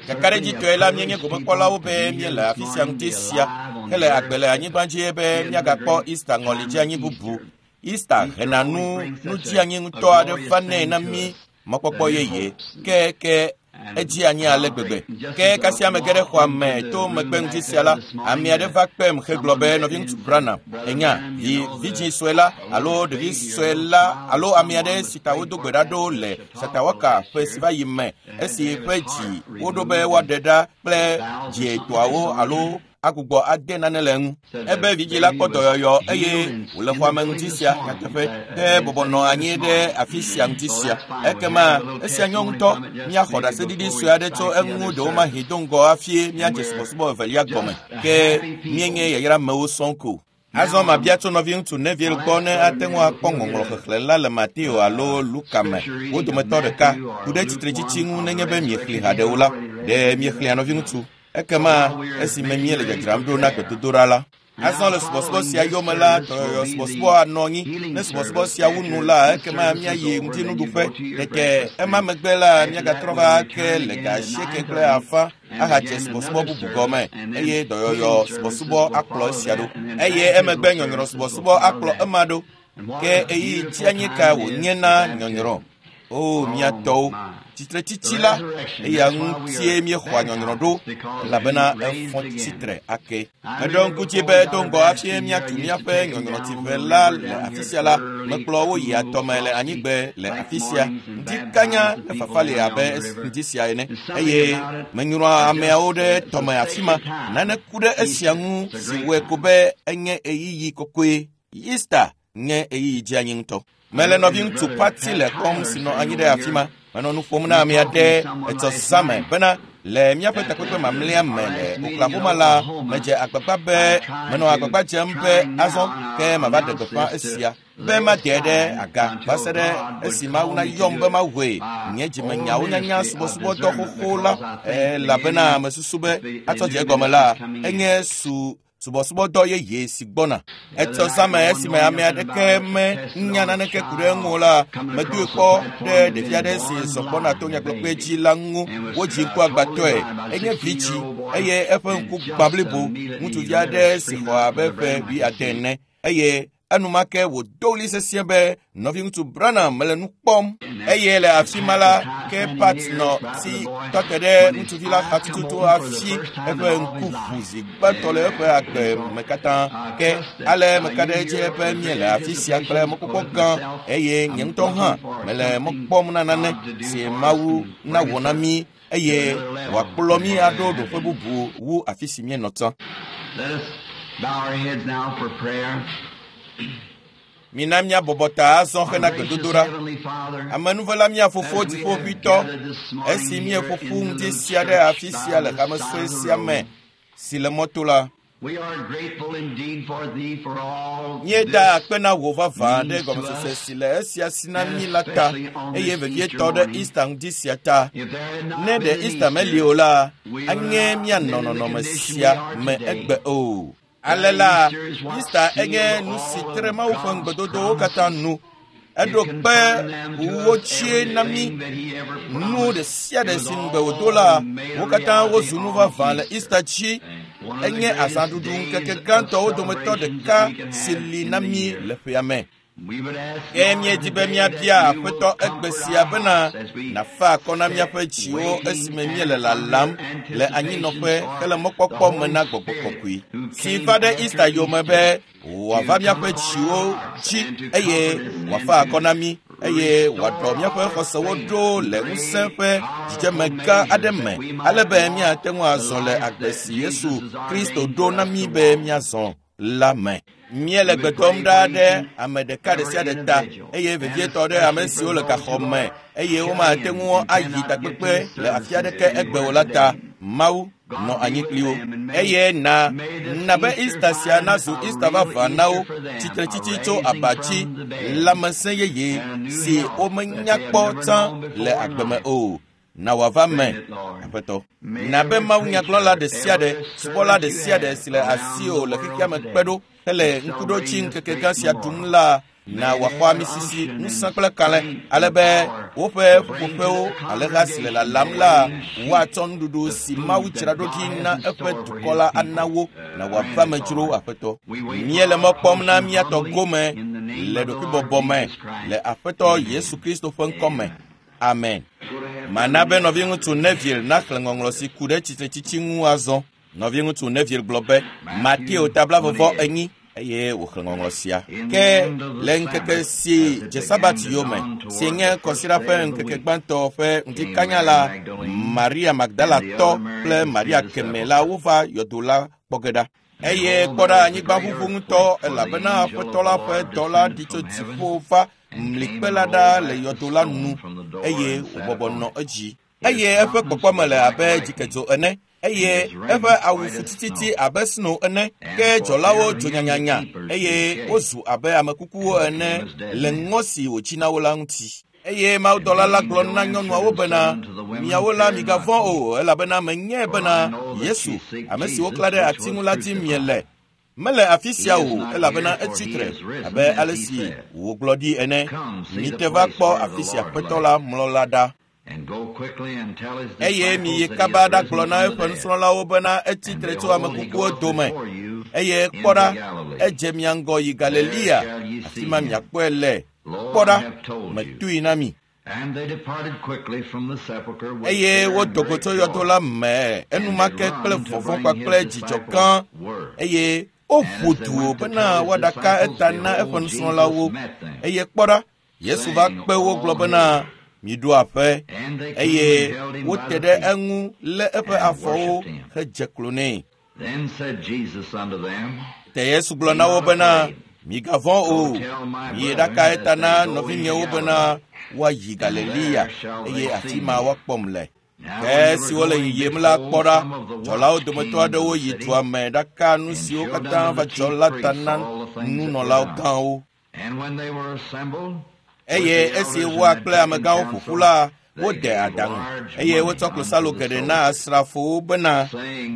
Kakaɖedzitɔe la míenye gomekpɔlawo be míele afi sia ŋuti sia hele agbe le anyigba dzi be míagakpɔ Easter ŋɔli dzi anyi bubu. Easter hena nu nudzianyi ŋutɔ aɖe vanɛ na mí mɔkpɔkpɔ yeye ke ke edzi anyi ale gbegbe. Ke kasia ame ge ɖe xɔa me to megbe ŋuti sia la, ame aɖe va kpem hegblɔ be nɔviŋutsu Branham, enya vi vidzĩ sue la alo ɖevi sue la alo ame aɖe si ta wodo gbe ɖa ɖo le Satawaka ƒe si va yi me esi ƒe dzi woɖo be woaɖe ɖa kple dzietɔawo alo agbugbɔ ade nane le eŋu. Ebe vidzĩ la kpɔ dɔyɔyɔ eye wòle xɔa me ŋuti sia nyateƒe ke bɔbɔ nɔ anyi ɖe afi sia ŋuti sia. Ekema esia nyɔ ŋutɔ míaxɔ ɖaseɖiɖi sue aɖe tso eŋu ɖewomahi do ŋgɔ hafi míadze subɔsubɔ evelia gɔme. Ke míenye yayramewo sɔŋ ko. Azɔ mabia tso nɔviŋutsu Neville gbɔ ne ate ŋu akpɔ ŋɔŋlɔ xexlẽ la le Mateo alo Luka me. Wo dometɔ ɖeka ku ɖe tsitretsitsi ŋu nenye be miexlẽ haɖe o la. Ɖe miexlẽa nɔviŋutsu? Ekema esime míele dzadzram ɖo na gbedodoɖa la. Azɔ le subɔsubɔ sia yome la, dɔyɔyɔ subɔsubɔ anɔ anyi. Ne subɔsubɔ sia wu nu la, ekema míayi ŋutinuɖuƒe. Tete ema megbe la, míagatrɔ va ake le ga 8:30 ahadze subɔsubɔ bubu gɔme eye dɔyɔyɔ subɔsubɔ akplɔ esia ɖo. Eye emegbe nyɔnyrɔ subɔsubɔ akplɔ ema ɖo. Ke ɣeyiɣi dzi ka wònye na nyɔnyrɔ? O mía tɔwo, tsitretsitsi la eya ŋutie míexɔa nyɔnyrɔ ɖo elabena efɔ tsitre ake. Meɖo ŋku dzi be do ŋgɔ hafi míatu míaƒe nyɔnyrɔtsiƒe la le afi sia la, mekplɔ wo yi atɔme le anyigbe le afi sia. Ŋdi kanya ne fafa li abe ŋdi sia ene eye menyrɔa ameawo ɖe tɔme afi ma. Nane ku ɖe esia ŋu si wɔe ko be enye ɣeyiɣi kɔkɔe. Easter nye ɣeyiɣi dzeanyi ŋutɔ. Mele nɔviŋutsu Pati le kpɔm si nɔ anyi ɖe afi ma. Menɔ nu ƒom na ame aɖe etsɔ zãme bena le míaƒe takpekpe mamlɛa me le Oklahoma la, medze agbagba be menɔ agbagba dzem be azɔ ke mava ɖe gbeƒã esia be made ɖe aga va se ɖe esi Mawu nayɔm be mawoe nye dzimenyawo nyanya subɔsubɔdɔ xoxo la elabena mesusu be atsɔ dze egɔme la enye su subɔsubɔdɔ yeye si gbɔna. Etsɔ zãme esime ame aɖeke menya naneke ku ɖe eŋu o la, medoe kpɔ ɖe ɖevi aɖe si zɔ gbɔna to nyagblɔkpe dzi la ŋu. Wodzi ŋkuagbãtɔe. Enye vidzĩ eye eƒe ŋku gbã blibo. Ŋutsuvi aɖe si xɔ abe ƒe 70 ene eye enumake wòdo ɣli sesĩe be nɔviŋutsu Branham mele nu kpɔm. Eye le afi ma la, ke Pat nɔ si tɔ te ɖe ŋutsuvi la xa tututu hafi eƒe ŋku ʋu zi gbãtɔ le eƒe agbe me katã. Ke ale meka ɖe edzi be míele afi sia kple mɔkpɔkpɔ gã eye nye ŋutɔ hã mele mɔ kpɔm na nane si Mawu nawɔ na mí eye wòakplɔ mí aɖo ɖoƒe bubu wu afi si míenɔ tsã. Let us bow our heads now for prayer. Mina míabɔbɔ ta azɔ hena Our gracious gbedodoɖa. Heavenly Father, Amenuvela mía fofo as we have dziƒoʋĩtɔ, gathered this morning esi here míeƒo ƒu in the ŋdi little sia ɖe church afi by sia le the hame side sue of the sia me road, si le mɔto la, we are grateful indeed for thee for all míeda this akpe na wò vavã ɖe means to gɔmesese us, si le esia si na and mí la ta especially on eye this Easter vevietɔ ɖe morning. Easter ŋdi sia ta. If there had not Ne been ɖe an Easter meli Easter, o la, we would anye not míanɔ have been in the nɔnɔme condition we sia are me today. egbe o. That Ale la, Easter is what Easter enye sealed nu si all tre of Mawu ƒe God's ŋugbedodowo katã promises. nu. It Eɖo kpe confirmed them to wo us tsie na mí everything that he ever nu promised. ɖe sia It ɖe was si ŋugbe wòdo all la, made wo a katã reality wozu nu on vavã le Easter. Easter dzi. One of the Enye greatest azãɖuɖu days ŋkeke of gãtɔwo dometɔ celebrations ɖeka that we can si have li in na the mí year. le ƒea me. We would ask, Ke Lord, míedi be today that míabia you will Aƒetɔ egbe comfort sia our bena hearts as we nàfa akɔ na sit míaƒe dziwo waiting esime míele and lalam under le anyinɔƒe anticipation for hele the mɔkpɔkpɔ me Holy na Gbɔgbɔ Spirit Kɔkɔe who si came va ɖe after Easter yome Easter be wòava to míaƒe comfort our dziwo hearts dzi and to eye comfort us and wòafa akɔ to na mí eye wòaɖɔ restore míaƒe our xɔsewo faith ɖo in le ŋusẽ great ƒe dzidzeme powerful gã aɖe measures me that we might ale be walk míate ŋu the azɔ le life agbe that si Yesu Jesus has Kristo ordained ɖo for na us mí to be walk. míazɔ la me. Míele We gbe would dom pray ɖa for ɖe each and ame ɖeka ɖe every sia ɖe ta individual, eye and vevietɔ ɖe ame especially siwo for le those gaxɔ who me are eye shut womate in ŋu and ayi cannot get to takpekpe the le afi services aɖeke egbe o anywhere la ta. today. Mawu nɔ God be anyi with kpli wo them and may eye na may this na be Easter Easter sia find nazu a Easter real vavã na wo Easter for them, a tsitretsitsi tso raising aba dzi from the dead lãmesẽ yeye and a new si health that womenya they have kpɔ never tsã known le before in agbe me life. o. Na wòava me, Grant it, Lord. Aƒetɔ. May Na be every Mawu nyagblɔla preacher, ɖe sia ɖe, every subɔla servant ɖe you sia ɖe have si le around asiwò the le xexea world me kpe today ɖo hele that's ŋkuɖodzi celebrating this ŋkeke great gã sia ɖum memorial la Na wòaxɔ amisisi, ŋusẽ kple kalẽ, ale be woƒe ƒuƒoƒewo alẽha si le lalam la woatsɔ nuɖuɖu si Mawu dzra ɖo ɖi na eƒe dukɔ la ana wo. Na wòava me dzro, Aƒetɔ. Míele mɔ kpɔm na mía tɔ gome le ɖokuibɔbɔ me le Aƒetɔ Yesu Kristo ƒe ŋkɔ me. Amen. Mana be nɔviŋutsu Neville naxlẽ ŋɔŋlɔ si ku ɖe tsitretsitsi ŋu azɔ. Nɔviŋutsu Neville gblɔ be Mateo ta 44 eye wòxlẽ ŋɔŋlɔ sia. Ke le ŋkeke si dze Sabat yome, si nye kɔsiɖa ƒe ŋkeke gbãtɔ ƒe ŋdikanya la, Maria Magdalatɔ kple Maria kemɛ la wova yɔdo la kpɔ ge ɖa. Eye kpɔ ɖa, anyigba ʋuʋu ŋutɔ, elabena Aƒetɔ la ƒe dɔla ɖi tso dziƒo va mlikpe la ɖa le yɔdo la nu eye wòbɔbɔ nɔ edzi. Eye eƒe kpɔkpɔme le abe dzikedzo ene, eye eƒe awu fu tititi abe sno ene. Ke dzɔlawo dzo nyanyanya eye wozu abe ame kukuwo ene le ŋɔ si wòtsi na wo la ŋuti. Eye mawudɔla la gblɔ na nyɔnuawo bena, miawo la migavɔ̃ o, elabena menyae bena Yesu, ame si woklã ɖe ati ŋu la dim miele. Mele afi sia o, elabena etsi tre abe ale si wògblɔ ɖi ene. Mite va kpɔ afi si Aƒetɔ la mlɔ la ɖa. Eye miyi kaba ɖagblɔ na eƒe nusrɔ̃lawo bena etsi tre tso ame kukuwo dome. Eye kpɔ ɖa, edze mia ŋgɔ yi Galilea, afi ma miakpɔe le. Kpɔ ɖa, metui na mi. Eye wodo go tso yɔdo la me enumake kple vɔvɔ̃ kpakple dzidzɔ gã, eye woƒu du bena woaɖaka eta na eƒe nusrɔ̃lawo. Eye kpɔ ɖa, Yesu va kpe wo gblɔ bena, miɖo aƒe. Eye wote ɖe eŋu lé eƒe afɔwo hedze klo nɛ. Te Yesu gblɔ na wo bena, migavɔ̃ o, miyi ɖaka eta na nɔvinyewo bena woayi Galilea, eye afi ma woakpɔm le. Ke esiwo le yiyim la kpɔ ɖa, dzɔlawo dometɔ aɖewo yi dua me ɖaka nu siwo katã va dzɔ la ta na nunɔlawo gãwo. Eye esi woa kple amegãwo ƒo ƒu la, wode aɖaŋu eye wotsɔ klosalo geɖe na asrafowo bena,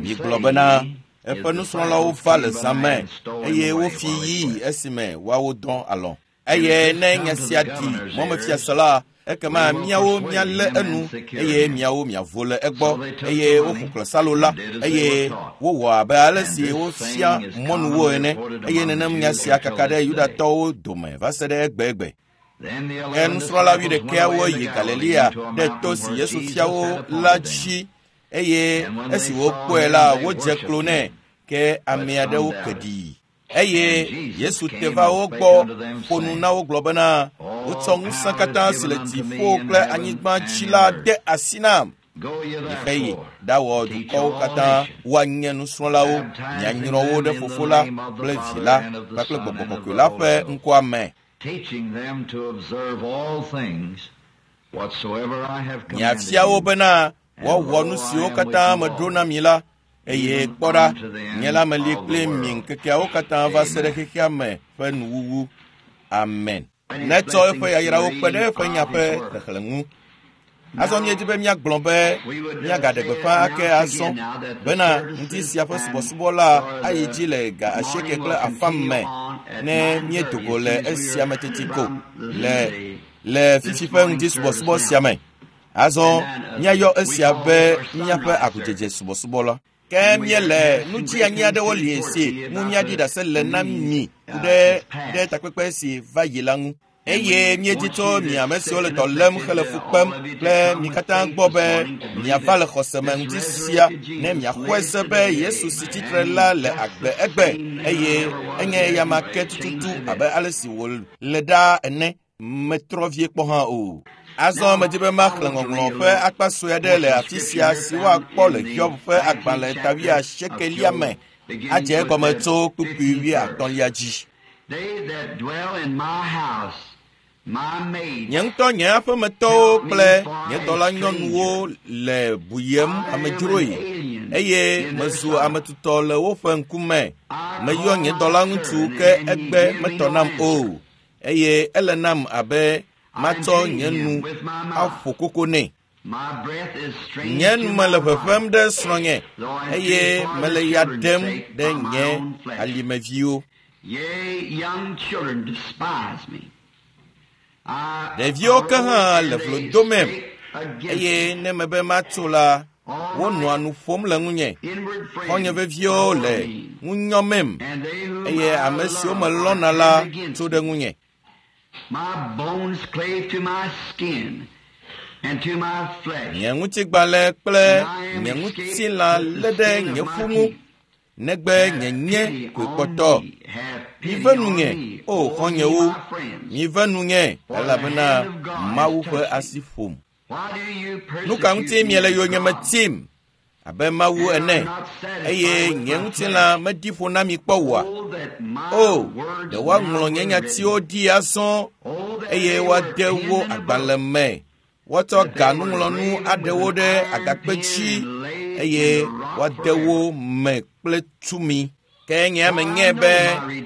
migblɔ bena eƒe nusrɔ̃lawo va le zã me eye wofi yii esime woawo dɔ alɔ̃. Eye ne nya sia ɖi mɔmefiase la, ekema miawo mialé enu eye miawo miavo le egbɔ. Eye woƒo klosalo la eye wowɔ abe ale si wofia mɔnuwo ene. Eye nenem nya sia kaka ɖe Yudatɔwo dome va se ɖe egbegbe. Ke nusrɔ̃la wuiɖekɛawo yi Galilea ɖe to si Yesu fia wo la dzi, eye esi wokpɔe la, wodze klo nɛ, ke ame aɖewo ke ɖii. Eye Yesu te va wo gbɔ ƒo nu na wo gblɔ bena, wotsɔ ŋusẽ katã si le dziƒo kple anyigba dzi la de asi nam. Miheyi ɖawɔ dukɔwo katã woanye nusrɔ̃lawo, mianyrɔ wo ɖe Fofo la kple Vi la kpakple Gbɔgbɔ Kɔkɔe la ƒe ŋkɔa me. Miafia wo bena woawɔ nu siwo katã meɖo na mi la, eye kpɔ ɖa, nye la meli kpli mi ŋkekeawo katã va se ɖe xexea me ƒe nuwuwu. Amen. Netsɔ eƒe yayrawo kpe ɖe eƒe nya ƒe xexlẽ ŋu. Azɔ míedi be míagblɔ be míagaɖe gbeƒã ake azɔ bena ŋdi sia ƒe subɔsubɔ la ayi dzi le 8:30 me ne míedo go le esia me teti ko le fifi ƒe ŋdi subɔsubɔ sia me. Azɔ míayɔ esia be míaƒe agudzedze subɔsubɔ la. Ke míele nudzianyi aɖewo li si ŋu míaɖi ɖase le na mi ku ɖe takpekpe si va yi la ŋu. Eye míedi tso mi ame siwo le dɔ lém hele fu kpem kple mi katã gbɔ be miava le xɔse me ŋdi sia ne miaxɔe se be Yesu si tsitre la le agbe egbe eye enye eyama ke tututu abe ale si wòle ɖaa ene, metrɔ vie kpɔ hã o. Azɔ medi be maxlẽ ŋɔŋlɔ ƒe akpa sue aɖe le afi sia si woakpɔ le Hiob ƒe agbalẽ ta 80 me, adze egɔme tso kpukpui 35 dzi. Nye ŋutɔ nye aƒemetɔwo kple nye dɔlanyɔnuwo le buyem amedzroe, eye mezu ame tutɔ le woƒe ŋkume. Meyɔ nye dɔlaŋutsu ke egbe metɔ nam o, eye ele nam abe matsɔ nye nu aƒo koko nɛ. Nye nu mele ʋeʋẽm ɖe srɔ̃nye, eye mele ya ɖem ɖe nye alimeviwo. Yea, young children despise me. Ɖeviwo ke hã le vlo domem, eye ne mebe matso la, wonɔa nu ƒom le ŋunye. Xɔ̃nye veviwo le ŋu nyɔmem, eye ame siwo melɔ̃na la tso ɖe ŋunye. My bones clave to my skin and to my flesh. Nye ŋutigbalẽ kple nye ŋutilã lé ɖe nye ƒu ŋu, negbe nye nye koe kpɔtɔ. Mive nunye, o xɔ̃nyewo, mive nunye, elabena Mawu ƒe asi ƒom. Nu ka ŋuti miele yonyeme tim abe Mawu ene, eye nye ŋutilã medi ƒo na mi kpɔ oa? O, ɖe woaŋlɔ nye nyatiwo ɖi azɔ eye woade wo agbalẽ me. Woatsɔ ganuŋlɔnu aɖe wo ɖe agakpe dzi eye woade wo me kple tumi. Ke nye menyae be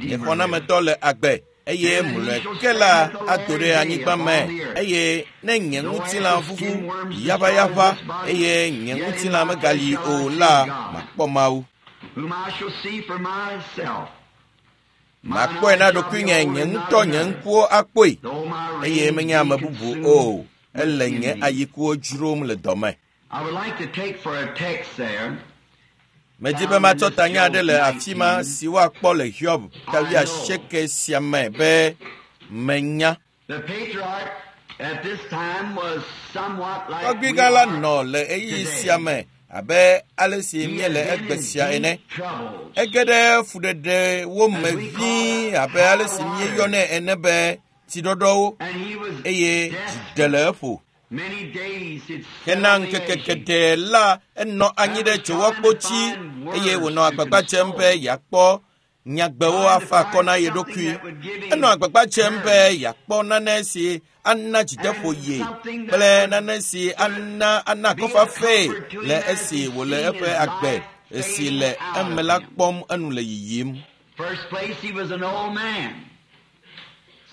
nye xɔnametɔ le agbe eye mlɔe ke la ado ɖe anyigba me eye ne nye ŋutilã ʋuʋu yaʋayaʋa eye nye ŋutilã megali o la, makpɔ Mawu. Whom I shall see for myself. Makpɔe na ɖokuinye nye ŋutɔ nye ŋkuwo akpɔe Though my eye reins menye ame be bubu consumed o. Ele nye within me. ayikuwo dzrom le dɔme. I would like to take for a text there Medi be matsɔ tanya aɖe le afi ma si woakpɔ le Hiob ta wuiasieke sia me be menya. The patriarch at this time was somewhat like we Tɔgbuigã la are nɔ le ɣeyiɣi today. sia me abe ale si He míele had been egbe in sia ene. deep troubles. Ege ɖe fuɖeɖewo me vĩi abe ale si míeyɔnɛ ene be tsiɖɔɖɔwo And he was eye dzi desperate. ɖe le eƒo. Many days he'd sat Hena on the ŋkeke edge. geɖe la, enɔ anyi ɖe dzowɔkpo dzi eye wònɔ agbagba dzem be yeakpɔ nyagbewo afa akɔ na ye ɖokui. Enɔ agbagba dzem be yeakpɔ nane si ana dzideƒo ye kple nane si ana ana akɔfafae le esi wòle eƒe agbe si le eme la kpɔm enu le yiyim. First place, he was an old man,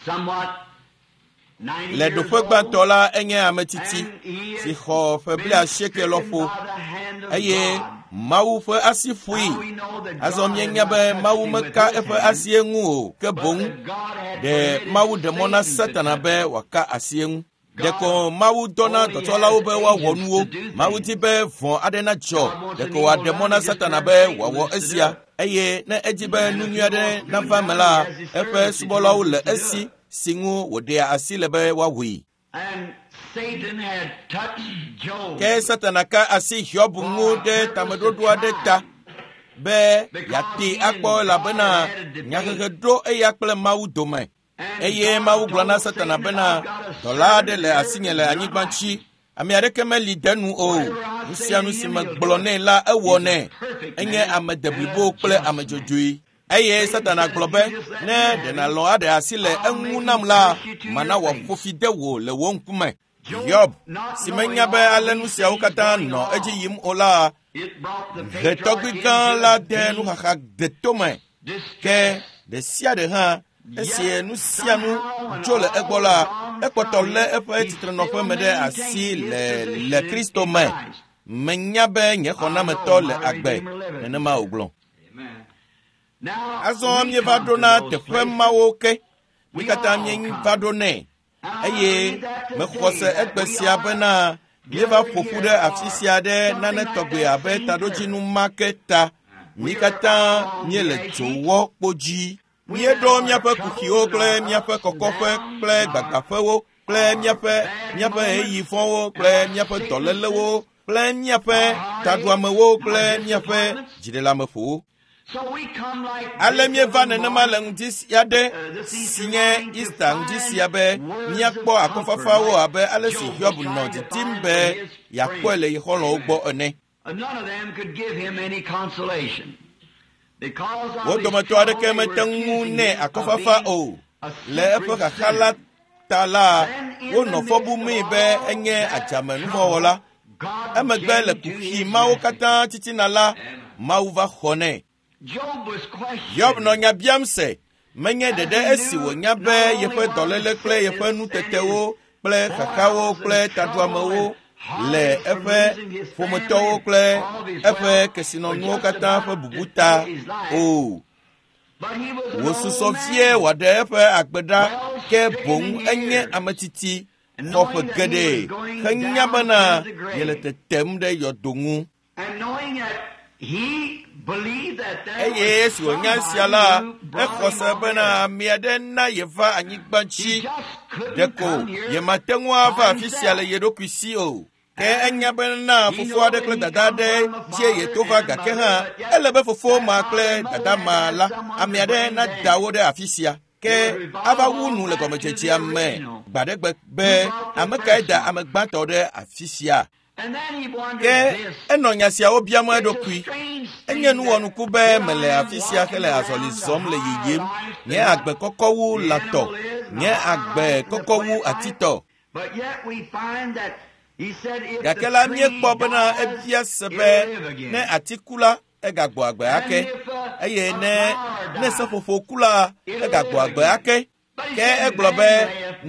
somewhat 90 Le years ɖoƒe old, gbãtɔ la, enye ame tsitsi and he si had xɔ ƒe been blaasieke stricken lɔƒo by the hand of eye God. Mawu ƒe asi ƒoe. Now we know that Azɔ God had míenya not be touched Mawu him with meka his eƒe hand, asie ŋu o, ke but boŋ that God had ɖe permitted Mawu ɖe mɔ na Satan to Satana touch be him. wòaka asi eŋu. God Ɖeko Mawu dɔna only dɔtsɔlawo has be woawɔ agents nuwo. to do Mawu di things. be vɔ̃ aɖe nadzɔ. God wants an Ɖeko evil wòaɖe mɔ done, na he just Satana turns be Satan wòawɔ loose to do esia. it. Eye ne edi be And nu if nyui he aɖe wants good nava eme done, la, he has his eƒe servants that he subɔlawo le uses to do esi it. si ŋu wòɖea asi le be woawɔe. And Satan had touched Job Ke Satana ka asi Hiob for ŋu a ɖe purpose to tameɖoɖo aɖe try ta him. be Because yeate he akpɔ and God elabena had a debate. nyahehe ɖo eya kple Mawu dome. And Eye God Mawu gblɔ na told Satana Satan, bena I've got a dɔla aɖe servant le here asinye le that's anyigba not dzi. like Ame aɖeke meli de nu o. Whatever I Nu say sia to nu si him, he'll megblɔ do it. nɛ la ewɔ He's a nɛ. perfect Enye man ame and deblibo a kple just ame man. dzɔdzɔe. Eye Satan Satana said, gblɔ if be, you just let ne me ɖe have nàlɔ̃ him, aɖe asi le I'll eŋu make nam him la, curse you to mana your wòaƒo face. fi de wò le wò ŋkume. Job, Hiob, not si knowing menya be all ale nu these siawo things katã going nɔ edzi on, yim o la, it brought the he patriarch tɔgbui gã into la a de deep nuxaxa detome. Ke distress. ɖe sia ɖe hã, esi Yet nu sia nu somehow when tso le all egbɔ was la, gone ekpɔtɔ from lé him, eƒe he tsitrenɔƒe still me ɖe asi maintained his le position le in Kristo me. Christ. Menya be nye I xɔnametɔ know le my agbe. Redeemer liveth. Nenema wògblɔ. Amen. Now Azɔ we míeva come ɖo to na those teƒe places. mawo ke. Mí We katã all míeva come. ɖo nɛ. And I Eye believe that mexɔ today se that egbe we sia are bena míeva gathered ƒo ƒu here ɖe afi for sia ɖe something nane like tɔgbe that abe same taɖodzinu purpose. ma ke ta. Mí We are katã all on the míele edge heap. dzowɔ kpo dzi. We Míeɖo have our míaƒe kuxiwo troubles and kple our míaƒe ups and kɔkɔƒe downs kple and our, gbagbaƒewo kple our míaƒe bad míaƒe ɣeyiɣi moments vɔ̃wo and kple our míaƒe sicknesses, dɔlélewo kple míaƒe our heartaches, taɖuamewo our kple míaƒe disappointments. dziɖeleameƒowo. So we come like Ale this míeva little nenema le morning, ŋdi sia ɖe this si Easter nye morning to Easter ŋdi find sia be words of míakpɔ comfort akɔfafawo like abe ale si Job was Hiob nɔ trying to didim find be from his yeakpɔe friends. le ye xɔlɔ̃wo gbɔ ene. None of them could give him any consolation. Because Wo of his dometɔ trouble, aɖeke they were mete ŋu accusing nɛ him of akɔfafa being o. a Le eƒe secret xaxa la sinner. ta la, Then in wonɔ the fɔ midst of bumii be all enye that adzamenuvɔwɔla. trouble, God Emegbe le came to kuxi his mawo rescue. katã titina la, Mawu va xɔ nɛ. Job was Hiob nɔ questioned nya biam se, menye as ɖeɖe he esi knew wònya be not only yeƒe what his dɔléle kple yeƒe sickness and his nutetewo kple xaxawo toils kple and trouble taɖuamewo and le heartache from eƒe losing his family ƒometɔwo and kple all of his eƒe wealth were kesinɔnuwo just katã ƒe about bubu to ta take his life. o. Wòsusɔ vie wòaɖe eƒe agbe ɖa, ke boŋ enye ame tsitsi xɔ ƒe geɖe henya bena yele tetem ɖe yɔdo ŋu. Eye esi wònya esia la, exɔ se bena ame aɖe na yeva anyigba dzi. Ɖeko yemate ŋu ava afi sia le ye ɖokui si o. Ke enya bena fofo aɖe kple dada aɖe dzie yeto va, gake hã ele be fofo ma kple dada ma la, ame aɖe nada wo ɖe afi sia. Ke ava wu nu le gɔmedzedzea me gbaɖegbe be ame kae da ame gbãtɔ ɖe afi sia. Ke enɔ nya siawo biam eɖokui. Enye nuwɔnuku be mele afi sia hele azɔli zɔm le yiyim. Nye agbe kɔkɔ wu lãtɔ, nye agbe kɔkɔ wu atitɔ. Gake la míekpɔ bena ebia se be ne ati ku la, egagbɔ agbe ake, eye ne seƒoƒo ku la, egagbɔ agbe ake. Ke egblɔ be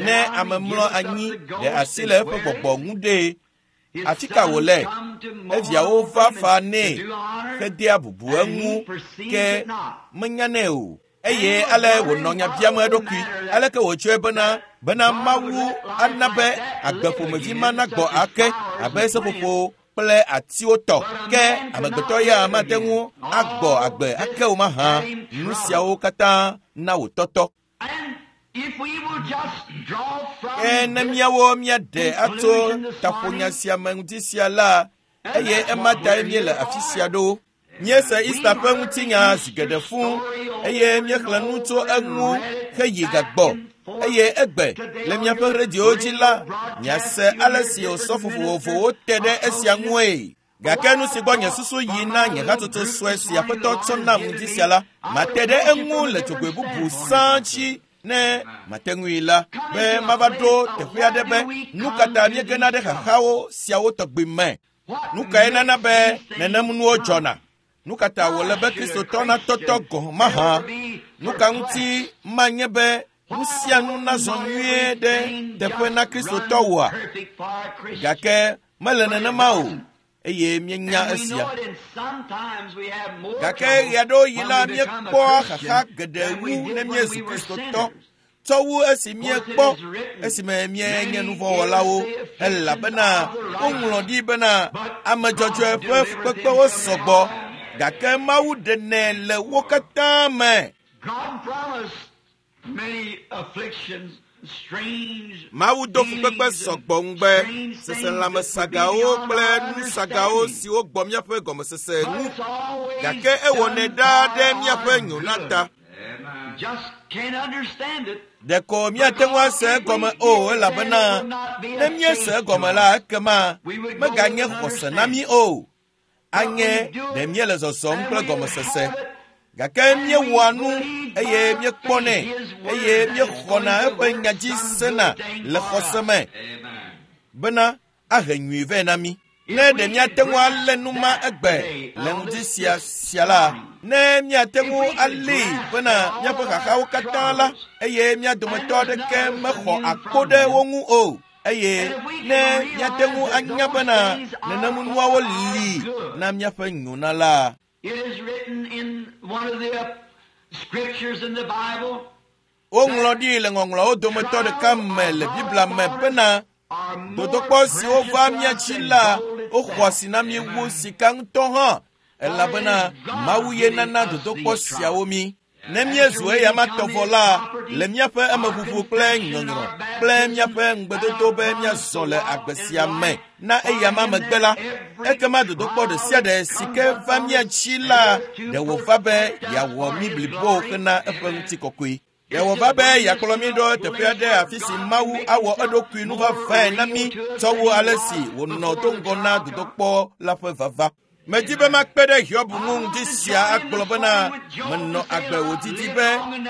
ne ame mlɔ anyi ɖe asi le eƒe gbɔgbɔ ŋu ɖee, afi ka wòle? Eviawo va fa nɛ hedea bubu eŋu, ke menyanɛ o. Eye ale wònɔ nya biam eɖokui, aleke wòtsɔe bena Mawu ana be agbe ƒomevi ma nagbɔ ake abe seƒoƒo kple atiwo tɔ, ke amegbetɔ ya mate ŋu agbɔ agbe ake o mahã. Nu siawo katã na wòtɔtɔ. Ke ne míawo míaɖe atso taƒonya sia me ŋuti sia la, eye ema tae míele afi sia ɖo. Míese Easter ƒe ŋutinya zi geɖe fũ, eye míexlẽ nu tso eŋu heyi gagbɔ. Eye egbe le míaƒe radiowo dzi la, miase ale si osɔfo vovovowo te ɖe esia ŋue. Gake nu si gbɔ nye susu yi na nye hatsotso sue si Aƒetɔ tsɔ nam ŋdi sia la, mate ɖe eŋu le dzogoe bubu sãa dzi ne mate ŋui la, be mava ɖo teƒe aɖe be nu ka ta míegena ɖe xaxawo siawo tɔgbi me. Nu kae nana be nenem nuwo dzɔna? Nu ka ta wòle be Kristotɔ natɔtɔ gɔ̃ mahã? Nu ka ŋuti manye be nu sia nu nazɔ nyuie ɖe teƒe na Kristotɔ woa? Gake mele nenema o, eye míenya esia. Gake ɣeaɖewoɣi la míekpɔa xaxa geɖe wu ne míezu Kristotɔ tsɔ wu esi míekpɔ esime míenye nuvɔ̃wɔlawo, elabena woŋlɔ ɖi bena ame dzɔdzɔe ƒe fukpekpewo sɔgbɔ, gake Mawu ɖenɛ le wo katã me. Mawu do fukpekpe sɔgbɔ ŋugbe, seselãmesagawo kple nusagawo siwo gbɔ míaƒe gɔmesese ŋu, gake ewɔnɛ ɖaa ɖe míaƒe nyona ta. Ɖeko míate ŋu ase egɔme o, elabena ne míese egɔme la, ekema meganye xɔse na mí o. Anye ɖe míele zɔzɔm kple gɔmesese. Gake míewɔa nu eye míekpɔnɛ eye míexɔna eƒe nya dzi sena le xɔse me bena ahe nyui vɛ na mí. Ne ɖe míate ŋu alé nu ma egbe le ŋdi sia la, ne míate ŋu alée bena míaƒe xaxawo katã la, eye mía dometɔ aɖeke mexɔ akpo ɖe wo ŋu o, eye ne míate ŋu anya bena nenem nuawo li na míaƒe nyona la. Woŋlɔ ɖi le ŋɔŋlɔawo dometɔ ɖeka me le Biblia me bena dodokpɔ siwo va mía dzi la, woxɔ asi na mí wu sika ŋutɔ hã, elabena Mawu ye nana dodokpɔ siawo mí. Ne míezu eyama tɔ vɔ la, le míaƒe emeʋuʋu kple nyɔnyrɔ kple míaƒe ŋugbedodo be míazɔ le agbe sia me na eyama megbe la, ekema dodokpɔ ɖe sia ɖe si ke va mía dzi la, ɖe wòva be yeawɔ mí blibo hena eƒe ŋutikɔkɔe. Ɖe wòva be yeakplɔ mí ɖo teƒe aɖe afi si Mawu awɔ eɖokui nuvavae na mí tsɔ wu ale si wònɔ do ŋgɔ na dodokpɔ la ƒe vava. Medi be makpe ɖe Hiob ŋu ŋdi sia agblɔ bena menɔ agbe wòdidi be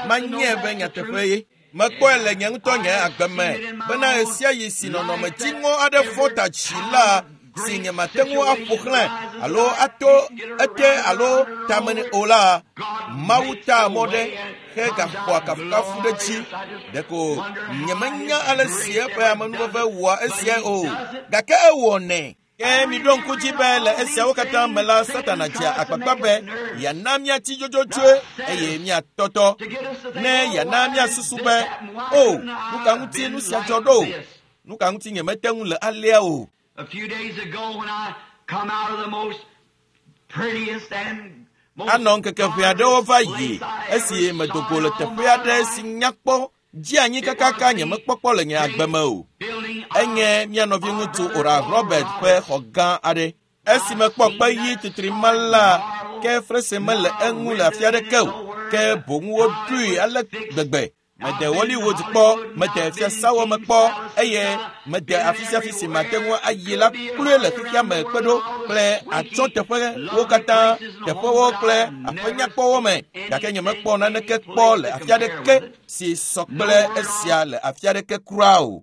manye be nyateƒe ye. Mekpɔe le nye ŋutɔ nye agbe me bena ɣesiaɣi si nɔnɔme dziŋɔ aɖe fɔ ta dzi la, si nyemate ŋu aƒo xlẽ alo ato ete alo tame nɛ o la, Mawu taa mɔ ɖe hegaxɔa kafukafu ɖe dzi. Ɖeko nyemenya ale si eƒe amenuveve wɔa esiae o, gake ewɔnɛ. Ke miɖo ŋku dzi be le esiawo katã me la, Satana dzea agbagba be yeana míatsi dzodzodzoe eye míatɔtɔ, ne yeana míasusu be, o, nu ka ŋuti nu sia dzɔ ɖo? Nu ka ŋuti nyemete ŋu le alea o? Anɔ ŋkeke ʋɛ aɖewo va yi esi medo go le teƒe aɖe si nyakpɔ dzi anyi kakaka nyemekpɔkpɔ le nye agbe me o. Enye mía nɔviŋutsu Oral Robert ƒe xɔ gã aɖe. Esi mekpɔ kpe ɣi titri ma la, ke frese mele eŋu le afi aɖeke o, ke boŋ woɖoe ale gbegbe. Mede Hollywood kpɔ, mede fiasawo me kpɔ, eye mede afi sia afi si mate ŋu ayi la kloe le xexea me kpe ɖo kple atsyɔ̃teƒewo katã, teƒewo kple aƒe nyakpɔwo me, gake nyemekpɔ naneke kpɔ le afi aɖeke si sɔ kple esia le afi aɖeke kura o.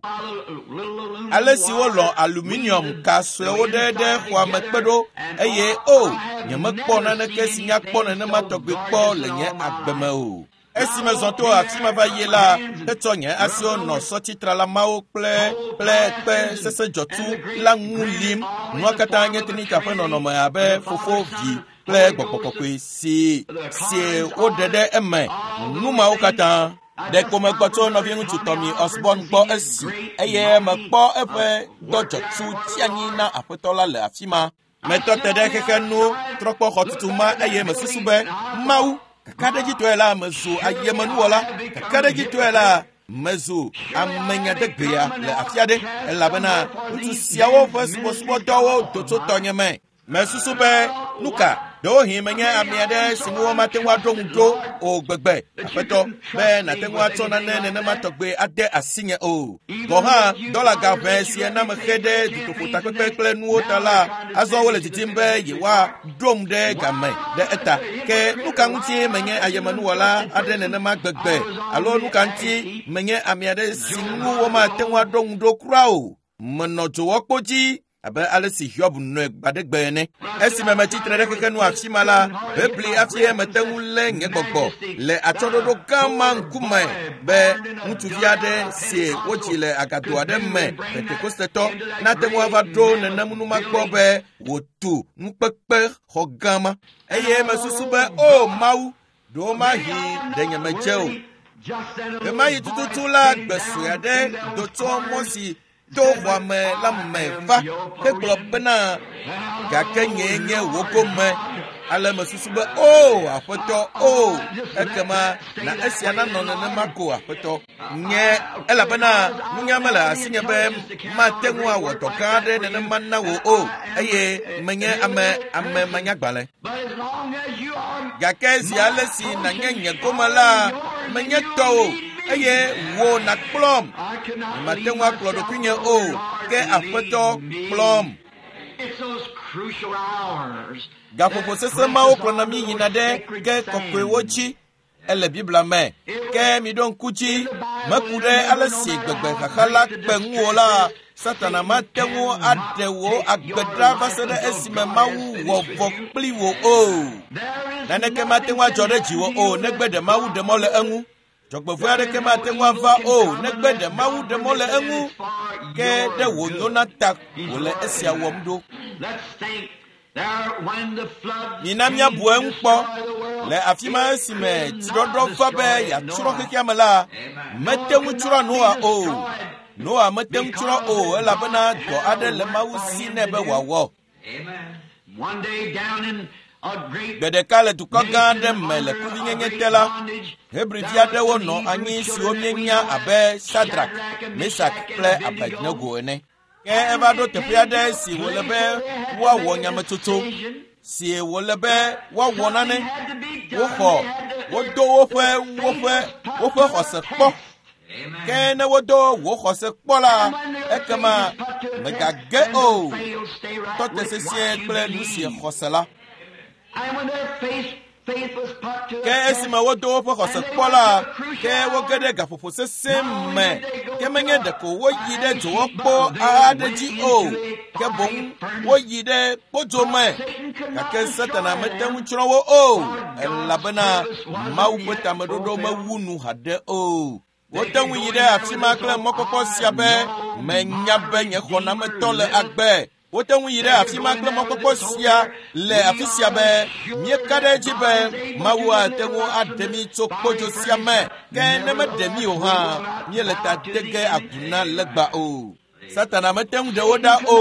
Ale si wolɔ̃ aluminium ka suewo ɖe ɖe xɔa me kpe ɖo eye o, nyemekpɔ naneke si nyakpɔ nenema tɔgbi kpɔ le nye agbe me o. Esi mezɔ to afi ma va yi la, etsɔ nye asiwo nɔ sɔtitrala mawo kple kple kpe sesẽ dzɔtsu la ŋu lim. Nua katã nye Trinita ƒe nɔnɔme abe fofo, vi kple gbɔgbɔ kɔkɔe si si woɖe ɖe eme. Nu mawo katã. Ɖeko megbɔ tso nɔviŋutsu Tommy Osborn gbɔ esi eye mekpɔ eƒe dɔ dzɔtsu tsi anyi na aƒetɔ la le afi ma. Metɔ te ɖe xexe nu trɔ kpɔ xɔtutu ma eye mesusu be, Mawu, kakaɖedzitɔe la mezu ayemenuwɔla, kakaɖedzitɔe la mezu amenyadegbea le afi aɖe, elabena ŋutsu siawo ƒe subɔsubɔdɔwo do tso tɔnye me. Mesusu be, nu ka, ɖewohĩ menye ame aɖe si ŋu womate ŋu aɖo ŋu ɖo o gbegbe, aƒetɔ, be nàte ŋu atsɔ nane nenema tɔgbe ade asinye o. Gɔ̃ hã, dɔla ga ʋɛ si na mexe ɖe dutoƒotakpekpe kple nuwo ta la, azɔ wole didim be yewoaɖom ɖe game ɖe eta. Ke nu ka ŋuti menye ayemenuwɔla aɖe nenema gbegbe, alo nu ka ŋuti menye ame aɖe si ŋu womate ŋu aɖo ŋu ɖo kura o? Menɔ dzowɔkpo dzi abe ale si Hiob nɔe gbaɖegbe ene. Esime metsi tre ɖe xexe nu afi ma la, bebli hafi mete ŋu lé nye gbɔgbɔ le atsyɔ̃ɖoɖo gã ma ŋkume be ŋutsuvi aɖe si wodzi le agado aɖe me Pentekostetɔ nate ŋu ava ɖo nenem nu ma gbɔ be wòtu nukpekpe xɔ gã ma. Eye mesusu be, o Mawu, ɖewomahi ɖe nyemedze o. Ɣemaɣi tututu la, gbe sue aɖe do tso mɔ si to xɔa me la me va hegblɔ bena, gake nyee nye wò gome. Ale mesusu be, o aƒetɔ, o, ekema na esia nanɔ nenema ko aƒetɔ. Nye elabena nunya mele asinye be mate ŋu awɔ dɔ gã aɖe nenema na wò o, eye menye ame ame manyagbalẽ. Gake zi ale si nànye nye gome la, menye tɔwò, eye wò nàkplɔm. Nyemate ŋu akplɔ ɖokuinye o, ke aƒetɔ kplɔm. Gaƒoƒo sesẽ mawo kplɔna mí yina ɖe ke kɔkɔewo dzi. Ele Biblia me. Ke miɖo ŋku dzi, meku ɖe ale si gbegbe xaxa la kpe ŋuwò la, Satana mate ŋu aɖe wò agbe ɖa va se ɖe esime Mawu wɔ vɔ kpli wò o. Naneke mate ŋu adzɔ ɖe dziwò o negbe ɖe Mawu ɖe mɔ le eŋu. Dzɔgbevɔ̃e aɖeke mate ŋu ava o negbe ɖe Mawu ɖe mɔ le eŋu. Ke ɖe wònyo na ta wòle esia wɔm ɖo. Mina míabu eŋu kpɔ. Le afi ma esime tsiɖɔɖɔ va be yeatsrɔ̃ xexea me la, mete ŋu tsrɔ̃ Noa o. Noa mete ŋu tsrɔ̃ o elabena dɔ aɖe le Mawu si nɛ be wòawɔ. Gbe ɖeka le dukɔ gã aɖe me le kuvinyenye te la, Hebrivi aɖewo nɔ anyi siwo míenya abe Sadrak, Mesak kple Abednego ene. Ke eva ɖo teƒe aɖe si wòle be woawɔ nyametsotso, si wòle be woawɔ nane. Woxɔ, wodo woƒe woƒe woƒe xɔse kpɔ. Ke ne wodo wò xɔse kpɔ la, ekema mègage o. Tɔ te sesĩe kple nu si xɔse la. Ke esime wodo woƒe xɔse kpɔ la, ke woge ɖe gaƒoƒo sesẽ me. Ke menye ɖeko woyi ɖe dzowɔkpo aɖe dzi o, ke boŋ woyi ɖe kpodzo me. Gake Satana mete ŋu tsrɔ̃ wo o, elabena Mawu ƒe tameɖoɖo mewu nu haɖe o. Wote ŋu yi ɖe afi ma kple mɔkpɔkpɔ sia be, menya be nye xɔnametɔ le agbe. Wote ŋu yi ɖe afi ma kple mɔkpɔkpɔ sia le afi sia be míeka ɖe edzi be Mawu ate ŋu aɖe mí tso kpodzo sia me. Ke ne meɖe mí o hã, míele ta de ge agu na legba o. Satana mete ŋu ɖe wo ɖa o.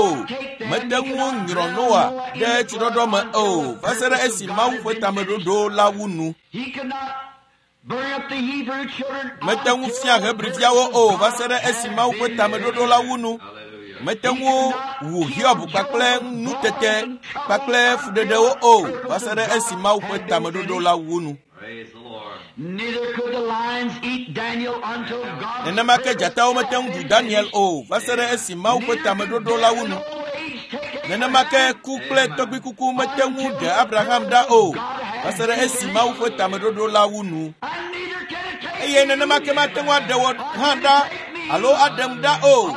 Mete ŋu nyrɔ Noa ɖe tsiɖɔɖɔ me o va se ɖe esi Mawu ƒe tameɖoɖo la wu nu. Mete ŋu fia Hebriviawo o va se ɖe esi Mawu ƒe tameɖoɖo la wu nu. Mete ŋu wu Hiob kpakple nutete kpakple fuɖeɖewo o va se ɖe esi Mawu ƒe tameɖoɖo la wu nu. Nenema ke dzatawo mete ŋu ɖu Daniel o va se ɖe esi Mawu ƒe tameɖoɖo la wu nu. Nenema ke ku kple tɔgbuikuku mete ŋu ɖe Abraham ɖa o va se ɖe esi Mawu ƒe tameɖoɖo la wu nu. Eye nenema ke mate ŋu aɖe wò hã ɖa alo aɖem ɖa o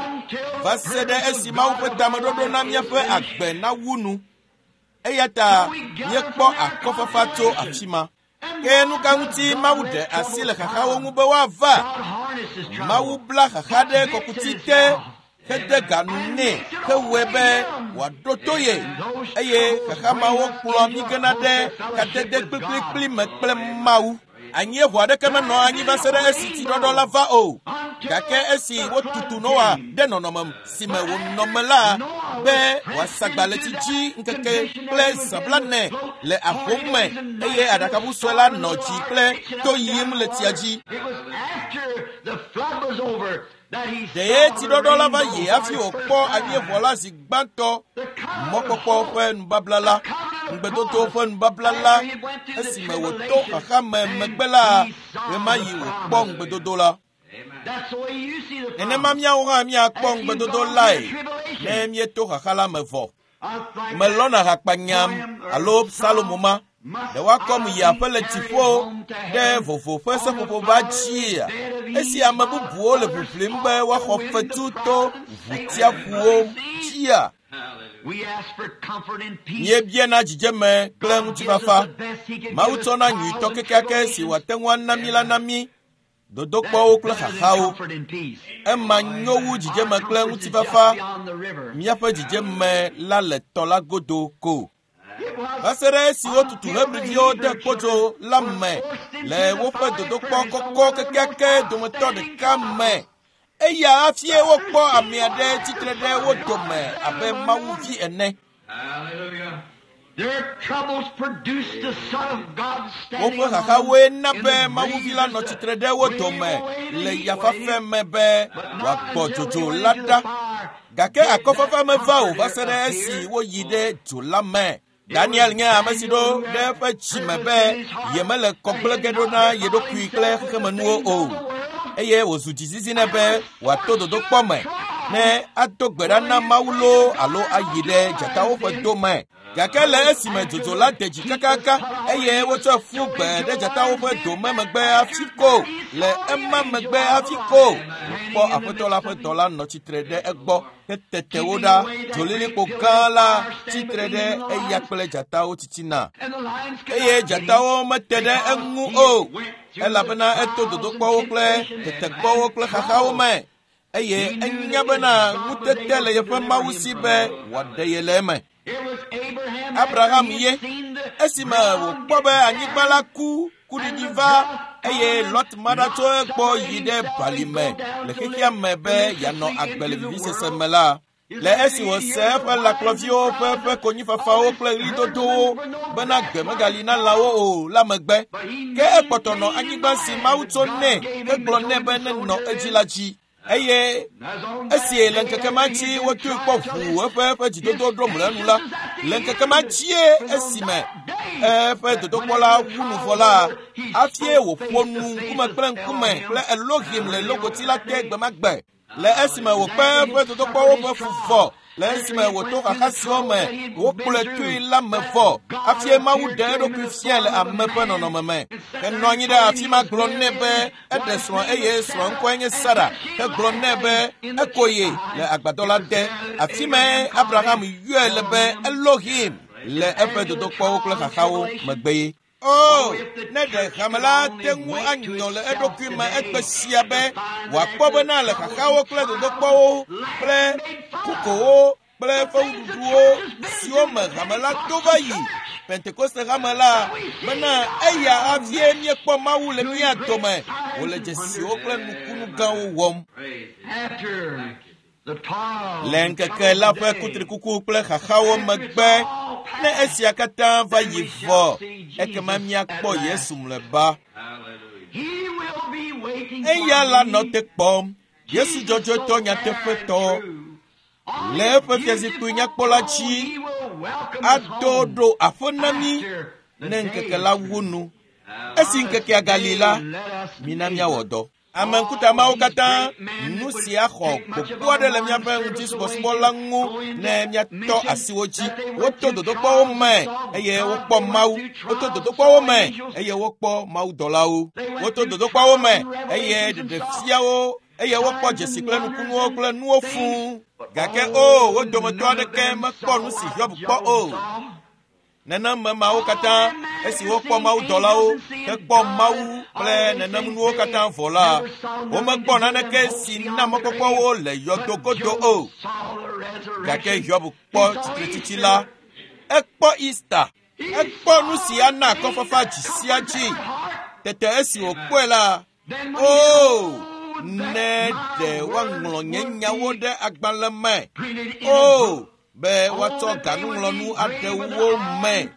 va se ɖe esi Mawu ƒe tameɖoɖo na míaƒe agbe nawu nu. Eya ta míekpɔ akɔfafa tso afi ma. Ke nu ka ŋuti Mawu ɖe asi le xaxawo ŋu be woava? Mawu bla xaxa ɖe kɔkuti te hede ga nu nɛ hewɔe be wòaɖo to ye eye xaxa mawo kplɔa mí gena ɖe kadede kplikplikpli me kple Mawu. Anyieʋu aɖeke menɔ anyi va se ɖe esi tsiɖɔɖɔ la va o. Gake esi wotutu Noa ɖe nɔnɔme si me wònɔ me la be wòasagba le tsi dzi ŋkeke kple zã blaene le ahom me eye aɖakaʋu sue la nɔ dzi kple to yim le tsia dzi. Ɖe tsiɖɔɖɔ la va yi hafi wòkpɔ anyieʋɔ la zi gbãtɔ, mɔkpɔkpɔ ƒe nubabla la, ŋugbedodo ƒe nubabla la, esime wòto xaxa me megbe la, ɣemaɣi wòkpɔ ŋugbedodo la. Nenema míawo hã míakpɔ ŋugbedodo lae ne míeto xaxa la me vɔ. Melɔ̃na hakpanyam alo Salomo ma. Ɖe woakɔm yi aƒe le dziƒo ɖe vovo ƒe seƒoƒo va dzia? Esi ame bubuwo le ʋiʋlim be woaxɔ fetu to ʋutiaƒuwo dzia? Míebiana dzidzeme kple ŋutifafa. Mawu tsɔna nyuitɔ kekeake si wòate ŋu ana mí la na mí, dodokpɔwo kple xaxawo. Ema nyo wu dzidzeme kple ŋutifafa. Míaƒe dzidzeme la le tɔ la godo ko. Va se ɖe esi wotutu Hebriviwo de kpodzo la me le woƒe dodokpɔ kɔkɔ kekeake dometɔ ɖeka me. Eya hafie wokpɔ ame aɖe tsitre ɖe wo dome abe Mawuvi ene. Woƒe xaxawoe na be Mawuvi la nɔ tsitre ɖe wo dome le yafafe me be wòagbɔ dzodzo la ɖa. Gake akɔfafa meva o va se ɖe esi woyi ɖe dzo la me. Daniel nye ame si ɖo ɖe eƒe dzime be yemele kɔgblẽ ge ɖo na ye ɖokui kple xexemenuwo o. Eye wòzu dzizizi nɛ be wòato dodokpɔ me ne ado gbe ɖa na Mawu loo alo ayi ɖe dzatawo ƒe do me. Gake le esime dzodzo la de dzi kakaka eye wotsɔe ƒu gbe ɖe dzatawo ƒe do me megbe hafi ko, le ema megbe hafi ko, wòkpɔ Aƒetɔ la ƒe dɔla nɔ tsitre ɖe egbɔ hetete wo ɖa. Dzolilikpo gã la tsitre ɖe eya kple dzatawo titina. Eye dzatawo mete ɖe eŋu o, elabena eto dodokpɔwo kple tetekpɔwo kple xaxawo me. Eye enya bena ŋutete le yeƒe Mawu si be wòaɖe ye le eme. Abraham ye esime wòkpɔ be anyigba la ku kuɖiɖi va eye Lot ma ɖa tso egbɔ yi ɖe balime le xexea me be yeanɔ agbe le vivisese me la. Le esi wòse eƒe lãkplɔviwo ƒe ƒe konyifafawo kple ɣlidodowo bena gbe megali na lãwo o la megbe, ke ekpɔtɔ nɔ anyigba si Mawu tso nɛ hegblɔ nɛ be nenɔ edzi la dzi. Eye esi le ŋkeke ma dzi wotoe kpɔ ʋuu eƒe eƒe dzidodo ɖo mlɔenu la, le ŋkeke ma dzie esime eƒe dodokpɔ la wu nu vɔ la, hafie wòƒo nu ŋkume kple ŋkume kple Elohim le logoti la te gbe ma gbe. Le esime wòkpe eƒe dodokpɔwo ƒe fu vɔ, le esime wòto xaxa siwo me wokplɔe toe la me vɔ, hafie Mawu ɖe eɖokui fiae le ame ƒe nɔnɔme me. Henɔ anyi ɖe afi ma gblɔ nɛ be eɖe srɔ̃ eye srɔ̃ ŋkɔe nye Sara. Hegblɔ nɛ be eko ye le agbadɔ la te. Afi mae Abraham yɔe le be Elohim le eƒe dodokpɔwo kple xaxawo megbe ye. O, ne ɖe hame la te ŋu anyɔ le eɖokui me egbe sia be wòakpɔ bena le xaxawo kple dodokpɔwo kple kukowo kple fewuɖuɖuwo siwo me hame la to va yi Pentekoste hame la bena eya havie míekpɔ Mawu le mía dome wòle dzesiwo kple nukunu gãwo wɔm. Le ŋkeke la ƒe kutrikuku kple xaxawo megbe, ne esia katã va yi vɔ, ekema míakpɔ Yesu mlɔeba. Eya la nɔ te kpɔm, Yesu dzɔdzɔetɔ nyateƒetɔ, le eƒe fiazikpui nyakpɔ la dzi ado ɖo aƒe na mí ne ŋkeke la wu nu. Esi ŋkekea gali la, mina míawɔ dɔ. Ame ŋkuta mawo katã, nu sia xɔ gbogbo aɖe le míaƒe ŋutisubɔsubɔ la ŋu ne míatɔ asi wo dzi. Woto dodokpɔwo me eye wokpɔ Mawu. Woto dodokpɔwo me eye wokpɔ mawudɔlawo. Woto dodokpɔwo me eye ɖeɖefiawo eye wokpɔ dzesi kple nukunuwo kple nuwo fũu. Gake o, wo dometɔ aɖeke mekpɔ nu si Hiob kpɔ o. Nenem me mawo katã, esi wokpɔ mawudɔlawo hekpɔ Mawu kple nenem nuwo katã vɔ la, womekpɔ naneke si na mɔkpɔkpɔwo le yɔdo godo o. Gake Hiob kpɔ tsitretsitsi la. Ekpɔ Easter. Ekpɔ nu si ana akɔfafa dzi sia dzi. Tete esi wòkpɔe la, o, ne ɖe woaŋlɔ nye nyawo ɖe agbalẽ me. O, be woatsɔ ganuŋlɔnu aɖewo me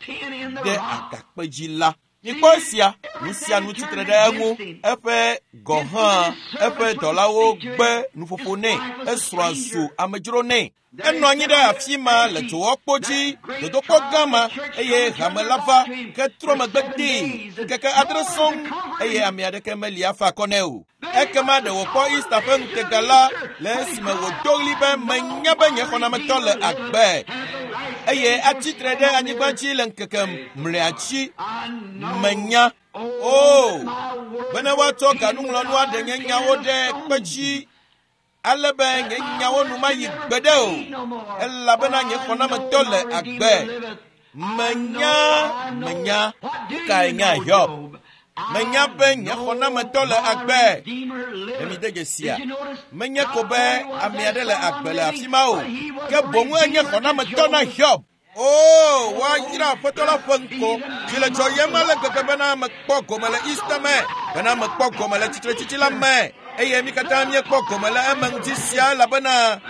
ɖe agakpe dzi la. Mikpɔ esia, nu sia nu tsitre ɖe eŋu. Eƒe gɔ̃ hã, eƒe dɔlawo gbe nuƒoƒo nɛ. Esrɔ̃a zu amedzro nɛ. Enɔ anyi ɖe afi ma le dzowɔkpo dzi, dodokpɔ gã ma, eye hame la va ke trɔ megbe dee ŋkeke 7 sɔŋ, eye ame aɖeke meli afa akɔ nɛ o. Ekema ɖe wòkpɔ Easter ƒe ŋutega la le esime wòdo ɣli be menya be nye xɔnametɔ le agbe eye atsitre ɖe anyigba dzi le ŋkeke mlɔea dzi. Menya. O, bene woatsɔ ganuŋlɔnu aɖe nye nyawo ɖe kpe dzi ale be nye nyawo nu mayi gbeɖe o, elabena nye xɔnametɔ le agbe. Menya, menya. Nukae nya Hiob? Menya be nye xɔnametɔ le agbe. Ne mi de dzesia, menye ko be ame aɖe le agbe le afi ma o, ke boŋ enye xɔnametɔ na Hiob. O, woayra Aƒetɔ la ƒe ŋkɔ. Dzi le dzɔyem ale gbegbe bena mekpɔ gome le Easter me, bena mekpɔ gome le tsitretsitsi la me, eye mi katã míekpɔ gome le eme ŋuti sia, elabena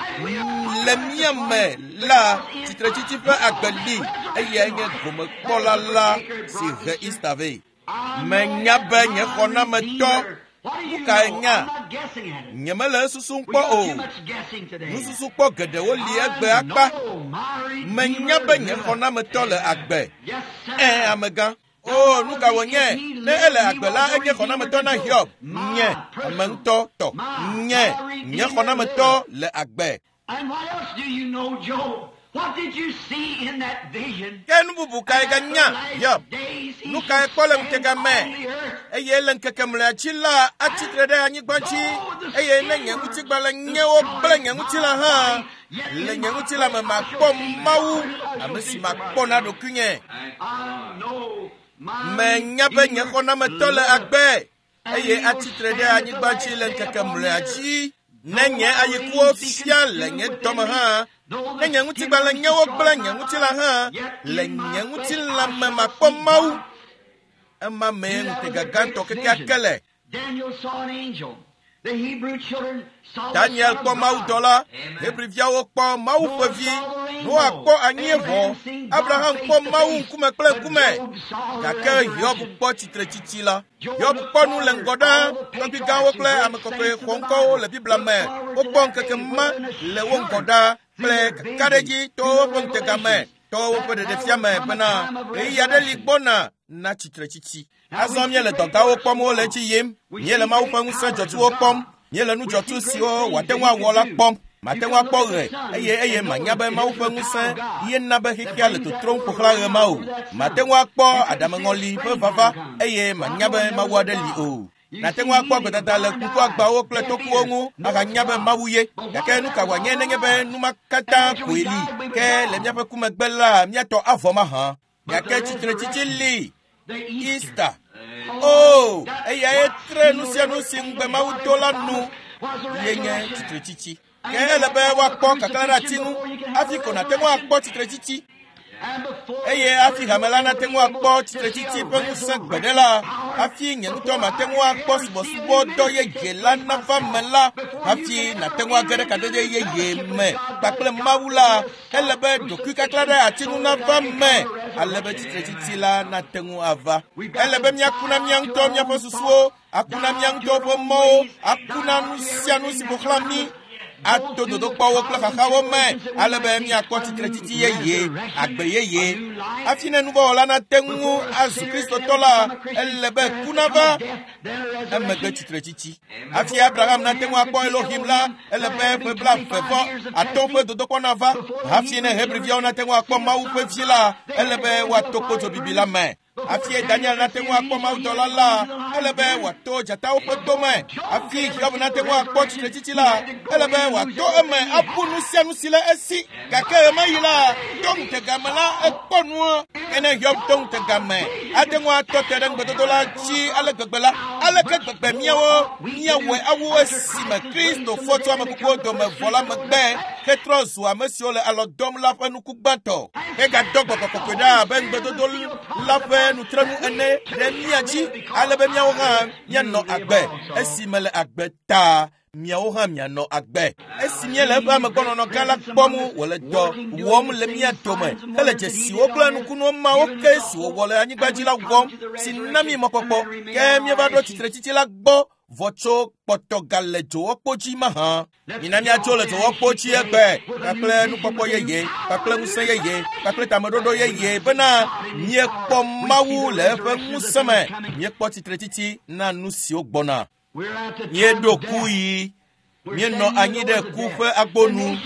le mía me la tsitretsitsi ƒe agbe li, eyae nye gomekpɔla la si he Easter vɛ. Menya be nye xɔnametɔ. Nu kae nya? Nyemele esusum kpɔ o. Nususukpɔ geɖewo li egbe akpa. Menya be nye xɔnametɔ le agbe. Ẽ, amegã. O, nu ka wònye? Ne ele agbe la, enye xɔnametɔ na Hiob. Nye, ame ŋutɔ tɔ. Nye, nye xɔnametɔ le agbe. And what else do you know, Job? What did you see in that vision? Ke nu bubu kae ganya, Hiob? Nu kae kpɔ le ŋutega me? Eye le ŋkeke mlɔea dzi la, atsitre ɖe anyigba dzi, eye ne nye ŋutigbalẽ nyewo kple nye ŋutilã hã, le nye ŋutilã me makpɔ Mawu, ame si makpɔ na ɖokuinye. Menya be nye xɔnametɔ le agbe, eye atsitre ɖe anyigba dzi le ŋkeke mlɔea dzi. Ne nye ayikuwo fia le nye dɔme hã, ne nye ŋutigbalẽ nyewo kple nye ŋutilã hã, le nye ŋutilã me makpɔ Mawu. Ema mee ŋutega gãtɔ kekeake le. Daniel saw an angel. The Hebrew children saw the Daniel Son of kpɔ God. mawudɔla, Hebriviawo kpɔ Mawu ƒe vi, Noa kpɔ anyieʋɔ, Abraham kpɔ Mawu ŋkume kple ŋkume. Gake Hiob kpɔ tsitretsitsi la. Hiob kpɔ nu le ŋgɔ ɖaa, tɔgbui gãwo kple ame kɔkɔe xɔŋkɔwo le Biblia me. Wokpɔ ŋkeke ma le wo ŋgɔ ɖaa kple kakaɖedzi to woƒe ŋutega me, to woƒe ɖeɖefia me bena ɣeyiɣi aɖe li gbɔna na tsitretsitsi. Azɔ míele dɔgawo kpɔm wole edzi yim, míele Mawu ƒe ŋusẽ dzɔtsuwo kpɔm, míele nu dzɔtsu siwo wòate ŋu awɔ la kpɔm. Mate ŋu akpɔ ɣe, eye eye manya be Mawu ƒe ŋusẽ ye na be xexea le totrom ƒo xlã ɣe ma o. Mate ŋu akpɔ aɖameŋɔli ƒe vava, eye manya be Mawu aɖe li o. Nate ŋu akpɔ gbedada le ŋkuagbawo kple tokuwo ŋu ahanya be Mawu ye. Gake nu ka wòanye nenye be nu ma katã koe li? Ke le míaƒe ku megbe la, míatɔ avɔ mahã. Gake tsitretsitsi li. Easter. O, eyae tre nu sia nu si ŋugbe Mawu do la nu ye nye tsitretsitsi. Ke ele be woakpɔ kaklã ɖe ati ŋu hafi ko nàte ŋu akpɔ tsitretsitsi. Eye hafi hame la nate ŋu akpɔ tsitretsitsi ƒe ŋusẽ gbe ɖe la, hafi nye ŋutɔ mate ŋu akpɔ subɔsubɔdɔ yeye la nava me la, hafi nàte ŋu age ɖe kadede yeye me kpakple Mawu la, ele be ɖokuikaklã ɖe ati ŋu nava me, ale be tsitretsitsi la nate ŋu ava. Ele be míaku na mía ŋutɔ míaƒe susuwo, aku na mía ŋutɔ ƒe mɔwo, aku na nu sia nu si ƒo xlã mí, ato dodokpɔwo kple xaxawo me, ale be míakpɔ tsitretsitsi yeye, agbe yeye. Hafi ne nuvɔwɔla nate ŋu azu Kristotɔ la, ele be ku nava emegbe tsitretsitsi. Hafi Abraham nate ŋu akpɔ Elohim la, ele be ƒe 35 ƒe dodokpɔ nava. Hafi ne Hebriviawo nate ŋu akpɔ Mawu ƒe vi la, ele be woato kpodzobibi la me. Hafi Daniel nate ŋu akpɔ mawudɔla la, ele be wòato dzatawo ƒe dome. Hafi Hiob nate ŋu akpɔ tsitretsitsi la, ele be wòato eme abu nu sia nu si le esi. Gake ɣemaɣi la, to ŋutega me la, ekpɔ nua. Ke ne Hiob to ŋutega me, ate ŋu atɔ te ɖe ŋugbedodo la dzi ale gbegbe la, aleke gbegbe míawo míawɔe awu esime Kristo fɔ tso ame kukuwo dome vɔ la megbe hetrɔ zu ame siwo le alɔ dɔm la ƒe nuku gbãtɔ. Hegadɔ gbɔgbɔ kɔkɔe ɖa abe ŋugbedodo la ƒe nutrenu ene ɖe mía dzi, ale be míawo hã míanɔ agbe. Esi mele agbe ta, miawo hã mianɔ agbe. Esi míele eƒe amegbɔnɔnɔ gã la kpɔm wòle dɔ wɔm le mía dome hele dzesiwo kple nukunuwo mawo ke si wòwɔ le anyigba dzi la wɔm, si na mí mɔkpɔkpɔ, ke míeva ɖo tsitretsitsi la gbɔ vɔ tso kpɔtɔ gale dzowɔkpo dzi mahã. Mina míatso le dzowɔkpo dzi egbe kpakple nukpɔkpɔ yeye, kpakple ŋusẽ yeye, kpakple tameɖoɖo yeye bena míekpɔ Mawu le eƒe ŋusẽ me, míekpɔ tsitretsitsi na nu siwo gbɔna. Míeɖo ku yi, míenɔ anyi ɖe ku ƒe agbonu,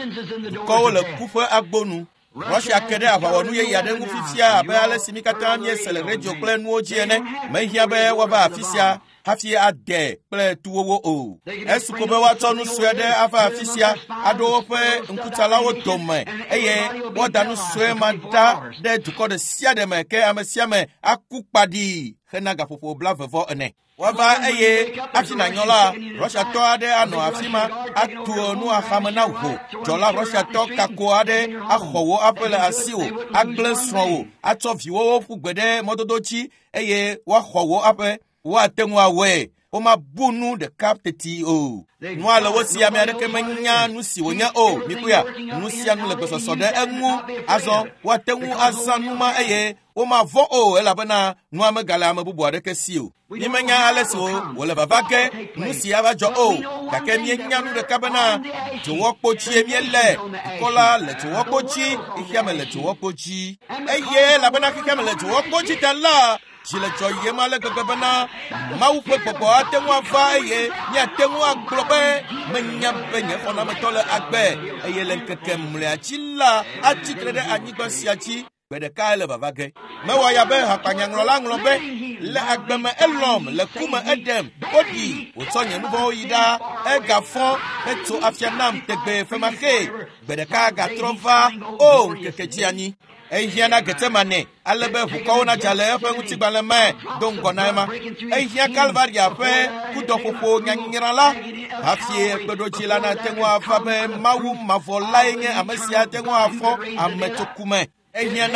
dukɔwo le ku ƒe agbonu. Russia ke ɖe aʋawɔnu yeye aɖe ŋu fifia abe ale si mí katã míese le radio kple nuwo dzi ene. Mehiã be woava afi sia hafi ade kple tuwowo o. Esu ko be woatsɔ nu sue aɖe ava afi sia aɖo woƒe ŋkutsalawo dome eye woada nu sue ma ɖa ɖe dukɔ ɖe sia ɖe me ke ame sia ame aku kpaɖii hena gaƒoƒo 20 ene. Woava eye hafi nànyɔ la, Russiatɔ aɖe anɔ afi ma atu nu axame na wò. Dzɔla Russiatɔ kako aɖe axɔ wò aƒe le asiwò, agblẽ srɔ̃wò, atsɔ viwòwo ƒu gbe ɖe mɔdodo dzi eye woaxɔ wò aƒe. Woate ŋu awɔe. Womabu nu ɖeka teti o. Nua le wo si, ame aɖeke menya nu si wònye o. Mikpɔea, nu sia nu le gbesɔsɔ ɖe eŋu. Azɔ woate ŋu azã nu ma eye womavɔ̃ o elabena nua megale ame bubu aɖeke si o. Mímenya ale si wòle vava ge nu si ava dzɔ o, gake míenya nu ɖeka bena dzowɔkpo dzie míele. Dukɔ la le dzowɔkpo dzi, xexeame le dzowɔkpo dzi. Eye elabena xexeame le dzowɔkpo dzi ta la, dzi le dzɔyem ale gbegbe bena Mawu ƒe gbɔgbɔ ate ŋu ava eye míate ŋu agblɔ be menya be nye xɔnametɔ le agbe eye le ŋkeke mlɔea dzi la atsi tre ɖe anyigba sia dzi. Gbe ɖeka ele vava ge. Mewɔ ya be hakpanyaŋlɔla ŋlɔ be, le agbe me elɔm, le ku me eɖem, woɖi, wòtsɔ nye nuvɔ̃wo yi ɖa, egafɔ hetso afia nam tegbee femaxee. Gbe ɖeka gatrɔ va, o ŋkeke dzi anyi. Ehiã na Getsemane ale be ʋukɔwo nadza le eƒe ŋutigbalẽ me do ŋgɔ na ema. Ehiã Kalvaria ƒe kudɔƒoƒo nyanyra la hafi kpeɖodzi la nate ŋu ava be Mawu mavɔ lae nye ame si ate ŋu afɔ ame tso ku me. Ehiã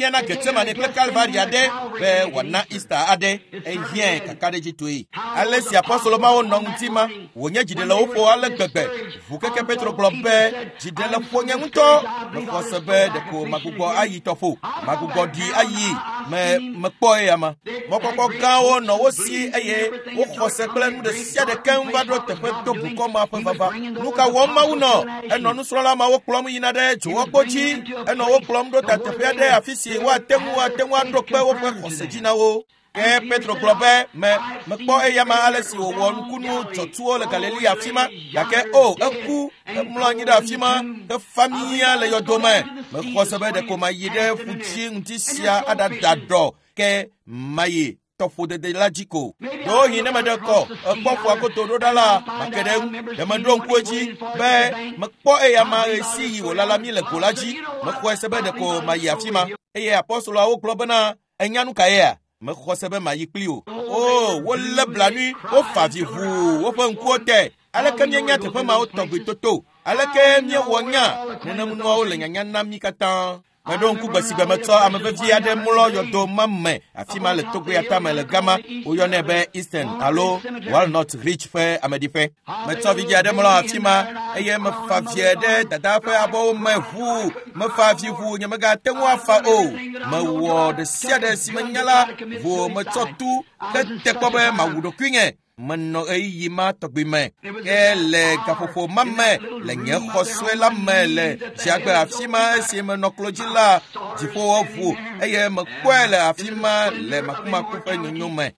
na Getsemane kple Kalvaria ɖe be wòana Easter aɖe. Ehiãe kakaɖedzitɔe. Ale si apostolo mawo nɔ ŋuti ma, wònye dziɖelewoƒo ale gbegbe. Ʋukeke Petro gblɔ be dziɖeleƒo nye ŋutɔ. Mexɔ se be ɖeko magbugbɔ ayi tɔƒo, magbugbɔ ɖi ayi me mekpɔ eya ma. Mɔkpɔkpɔ gãwo nɔ wo si eye woxɔ se kple nu ɖe sia ɖe keŋ va ɖo teƒe to bukɔ ma ƒe vava. Nu ka wɔm Mawu nɔ? Enɔ nusrɔ̃la mawo kplɔm yina ɖe dzowɔkpo dzi. Enɔ wo kplɔm ɖo ta teƒe aɖe afi si woate ŋu aɖo kpe woƒe xɔse dzi na wo. Ke Petro gblɔ be, mekpɔ eya ma ale si wòwɔ nukunu dzɔtsuwo le Galilea afi ma, gake o eku, emlɔ anyi ɖe afi ma, hefa mía le yɔdo me. Mexɔ se be ɖeko mayi ɖe ƒu dzi ŋuti sia aɖada ɖɔ, ke mayi tɔƒodede la dzi ko. Ɖewohĩ ne meɖe kɔ ekpɔ ƒua godo ɖo ɖa la, make ɖe eŋu. Ɖe meɖo ŋku edzi be mekpɔ eya ma ɣesiɣi wòlala mí le go la dzi. Mexɔe se be ɖeko mayi afi ma. Eye apostoloawo gblɔ bena, enya nu ka yea? Mexɔ se be mayi kpli o. O, wolé blanui, wofa avi ʋuu woƒe ŋkuwo te. Aleke míenya teƒe mawo tɔgbi toto? Aleke míewɔ nya nenem nuawo le nyanya na mí katã? Meɖo ŋku gbe si gbe metsɔ ame vevi aɖe mlɔ yɔdo ma me afi ma le togbea tame le gama. Woyɔnɛ be Eastern alo Walnut Ridge ƒe ameɖiƒe. Metsɔ vidzĩ aɖe mlɔ afi ma eye mefa vie ɖe dada ƒe abɔwo me ʋuu. Mefa vi ʋuu nyemegate ŋu afa o. Mewɔ ɖe sia ɖe si menya la ʋuu metsɔ tu hete kpɔ be mawu ɖokuinye. Menɔ ɣeyiɣi ma tɔgbi me. Ke le gaƒoƒo ma me le nye xɔ sue la me le dziagbe afi ma esi menɔ klo dzi la, dziƒowo ʋu eye mekpɔe le afi ma le makumaku ƒe nyonyo me.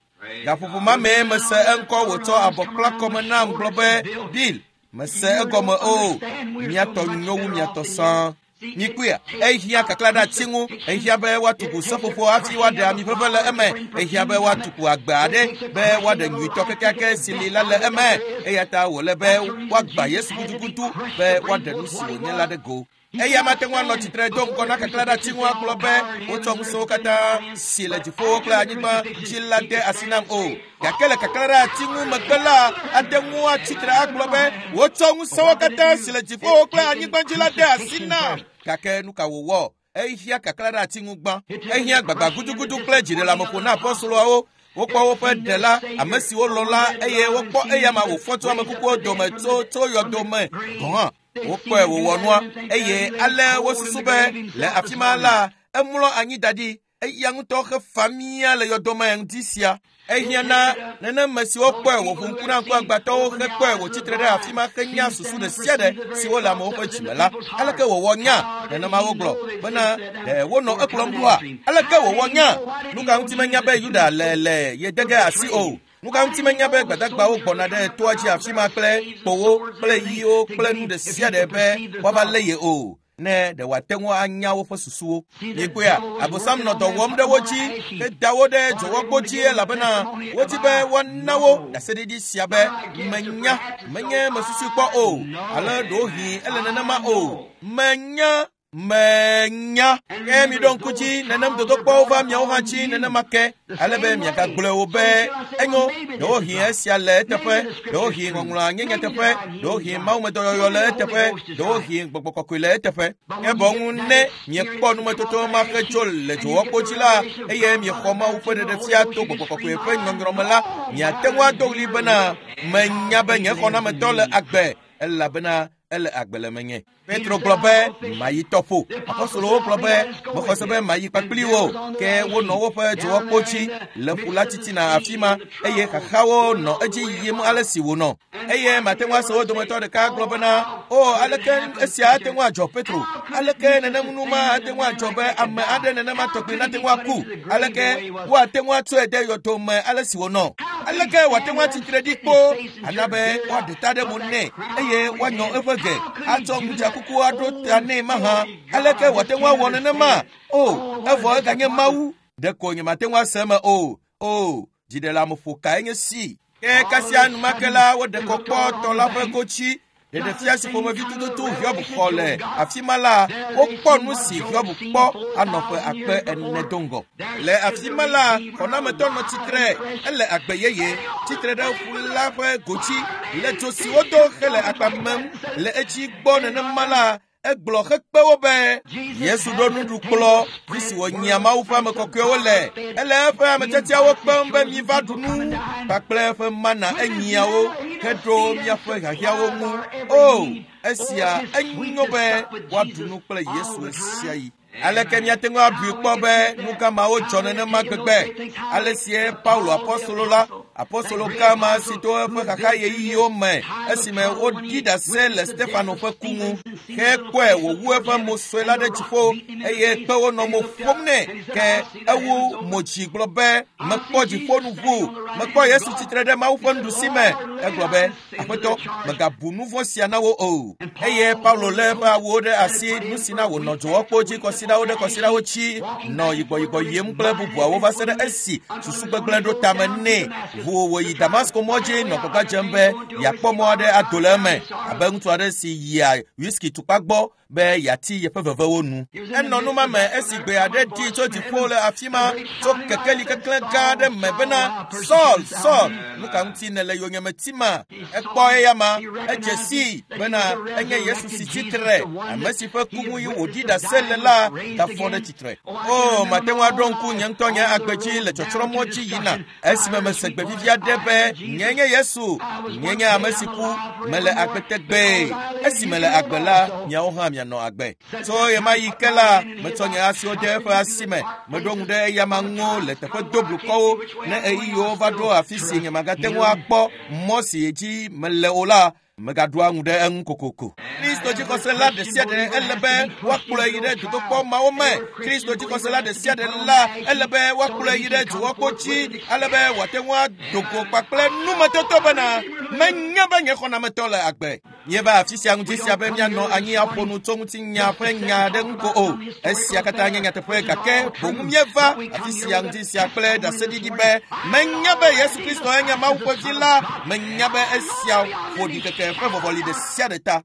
Gaƒoƒo ma mee mese eŋkɔ wòtsɔ abɔ kpla kɔme nam gblɔ be, Bill, mese egɔme o, miatɔ nyo wu miatɔ sãa. Mikpɔea, ehiã kakla ɖe ati ŋu, ehiã be woatuku seƒoƒo hafi woaɖe ami ʋeʋẽ le eme, ehiã be woatuku agbe aɖe be woaɖe nyuitɔ kekeake si li la le eme. Eya ta wòle be woagbã Yesu gudugudu be woaɖe nu si wònye la ɖe go. Eya mate ŋu anɔ tsitre do ŋgɔ na kakla ɖe ati ŋu agblɔ be wotsɔ ŋusẽwo katã si le dziƒowo kple anyigba dzi la de asi nam o. Gake le kakla ɖe ati ŋu megbe la, ate ŋu atsitre agblɔ be wotsɔ ŋusẽwo katã si le dziƒowo kple anyigba dzi la de asi nam. Gake nu ka wòwɔ? Ehiã kakla ɖe ati ŋu gbã. Ehiã gbagba gudugudu kple dziɖeleameƒo na apɔstoloawo. Wokpɔ woƒe ɖela, ame siwo lɔ̃ la, eye wokpɔ eyama wòfɔ tso ame kukuwo dome tso yɔdo me gɔ̃ hã. Wokpɔe wòwɔ nua eye ale wosusu be le afi ma la, emlɔ anyi da ɖi. Eya ŋutɔ hefa mía le yɔdome ŋdi sia. Ehiã na neneme siwo kpɔe wòʋu ŋku na ŋkuagbãtɔwo hekpɔe wòtsitre ɖe afi ma henya susu ɖe sia ɖe siwo le amewo ƒe dzime la. Aleke wòwɔ nya? Nenema wogblɔ bena ɖe wonɔ ekplɔm ɖoa? Aleke wòwɔ nya? Nu ka ŋuti menya be Yuda le ye de ge asi o? Nu ka ŋuti menya be gbadagbawo gbɔna ɖe toa dzi afi ma kple kpowo kple yiwo kple nu ɖe sia ɖe be woava lé ye o? Ne ɖe wòate ŋu anya woƒe susuwo. Mikpɔea, Abosam nɔ dɔ wɔm ɖe wo dzi heda wo ɖe dzowɔkpo dzi elabena wodi be woana wo ɖaseɖiɖi sia be menya, menye mesusui kpɔ o, ale ɖewohĩ ele nenema o. Menya, menya. Ke miɖo ŋku dzi nenem dodokpɔwo va miawo hã dzi nenema ke, ale be miagagblɔe o be enyo, ɖewohĩ esia le eteƒe, ɖewohĩ ŋɔŋlɔa nye nyateƒe, ɖewohĩ mawumedɔyɔyɔ le eteƒe, ɖewohĩ gbɔgbɔ kɔkɔe le eteƒe. Ke boŋ ne miekpɔ numetoto ma ke tso le dzowɔkpo dzi la, eye miexɔ Mawu ƒe ɖeɖefia to gbɔgbɔ kɔkɔe ƒe nyɔnyrɔ me la, miate ŋu ado ɣli bena menya be nye xɔnametɔ le agbe, elabena ele agbe le menye. Petro gblɔ be mayi tɔƒo. Apostolowo gblɔ be mexɔ se be mayi kpakpli wo, ke wonɔ woƒe dzowɔkpo dzi le ƒu la titina afi ma eye xaxawo nɔ edzi yim ale si wònɔ. Eye mate ŋu ase wo dometɔ ɖeka gblɔ bena, o, aleke esia ate ŋu adzɔ Petro? Aleke nenem nu ma ate ŋu adzɔ be ame aɖe nenema tɔgbi nate ŋu aku? Aleke woate ŋu atsɔe de yɔdo me ale si wònɔ? Aleke wòate ŋu atsitre ɖi kpo ana be woaɖe ta ɖe mo nɛ eye woanyɔ eƒe ge atsɔ ŋudzakuku aɖo ta nɛ mahã? Aleke wòate ŋu awɔ nenema? O, evɔ eganye Mawu. Ɖeko nyemate ŋu ase eme o. O, dziɖeleameƒo kae nye si. Ke kasia enumake la, woɖe kɔ kpɔ tɔ la ƒe gotsi. Ɖeɖefia si ƒomevi tututu Hiob xɔ le afi ma la, wokpɔ nu si Hiob kpɔ anɔ ƒe akpe ene do ŋgɔ. Le afi ma la, xɔnametɔ nɔ tsitre, ele agbe yeye, tsitre ɖe ƒu la ƒe gotsi, le dzo si wodo hele akpa mem le edzi gbɔ nenema la, egblɔ hekpe wo be Yesu ɖo nuɖukplɔ fi si wònyia Mawu ƒe ame kɔkɔewo le. Ele eƒe ametiatiawo kpem be miva ɖu nu kpakple eƒe mana enyiawo heɖo míaƒe hiahiãwo ŋu. O, esia enyo be woaɖu nu kple Yesu ɣesiaɣi. Aleke míate ŋu abui kpɔ be nu gã mawo dzɔ nenema gbegbe? Ale sie Paulo apɔstolo la, apɔstolo gã ma si to eƒe xaxa ɣeyiɣiwo me esime woɖi ɖase le Stefano ƒe ku ŋu, hekpɔe wòwu eƒe mo sue la ɖe dziƒo eye kpewo nɔ mo ƒom nɛ, ke ewu mo dzi gblɔ be, mekpɔ dziƒo nu ʋu, mekpɔ Yesu tsitre ɖe Mawu ƒe nuɖusi me. Egblɔ be, Aƒetɔ, mègabu nu vɔ̃ sia na wo o. Eye Paulo lé eƒe awuwo ɖe asi, nu si na wònɔ dzowɔkpo dzi kɔsiɖawo ɖe kɔsiɖawo tsi, nɔ yigbɔyigbɔ yim kple bubuawo va se ɖe esi susu gbegblẽ ɖo tame nɛ. Ʋu wòyi Damasko mɔ dzi nɔ gbagba dzem be yeakpɔ mɔ aɖe ado le eme, abe ŋutsu aɖe si yia whisky tukpa gbɔ. be yeati yeƒe vevewo nu. Enɔ nu ma me esi gbe aɖe ɖi tso dziƒo le afi ma tso kekeli keklẽ gã aɖe me bena, Saul, Saul, nu ka ŋuti nèle yonyeme tima? Ekpɔ eya ma, edze sii bena enye Yesu si tsitre, ame si ƒe ku ŋu yi wòɖi ɖase le la gafɔ ɖe tsitre. O, mate ŋu aɖo ŋku nye ŋutɔ nye agbe dzi le tsɔtsrɔ̃mɔ dzi yina esime mese gbe vivi aɖe be nye nye Yesu, nye nye ame si ku, mele agbe tegbee. Esi mele agbe la, miawo hã mianɔ agbe. Tso ɣemaɣi ke la, metsɔ nye asiwo de eƒe asi me, meɖo ŋu ɖe eyama ŋu le teƒe doblukɔwo. Ne ɣeyiɣiwo va ɖo afi si nyemagate ŋu akpɔ mɔ si dzi mele o la, megaɖoa ŋu ɖe eŋu kokoko. Kristo dzixɔsela ɖe sia ɖe ele be woakplɔe yi ɖe dodokpɔ mawo me. Kristo dzixɔsela ɖe sia ɖe la ele be woakplɔe yi ɖe dzowɔkpo dzi ale be wòate ŋu ado go kpakple numetoto bena menya be nye xɔnametɔ le agbe. Míeva afi sia ŋuti sia be míanɔ anyi aƒo nu tso ŋutinya ƒe nya aɖe ŋu ko o. Esia katã nye nyateƒe gake boŋ míeva afi sia ŋuti sia kple ɖaseɖiɖi be menya be Yesu Kristo enye Mawu ƒe vi la, menya be esia ƒo ɖikeke ƒe vɔvɔli ɖe sia ɖe ta.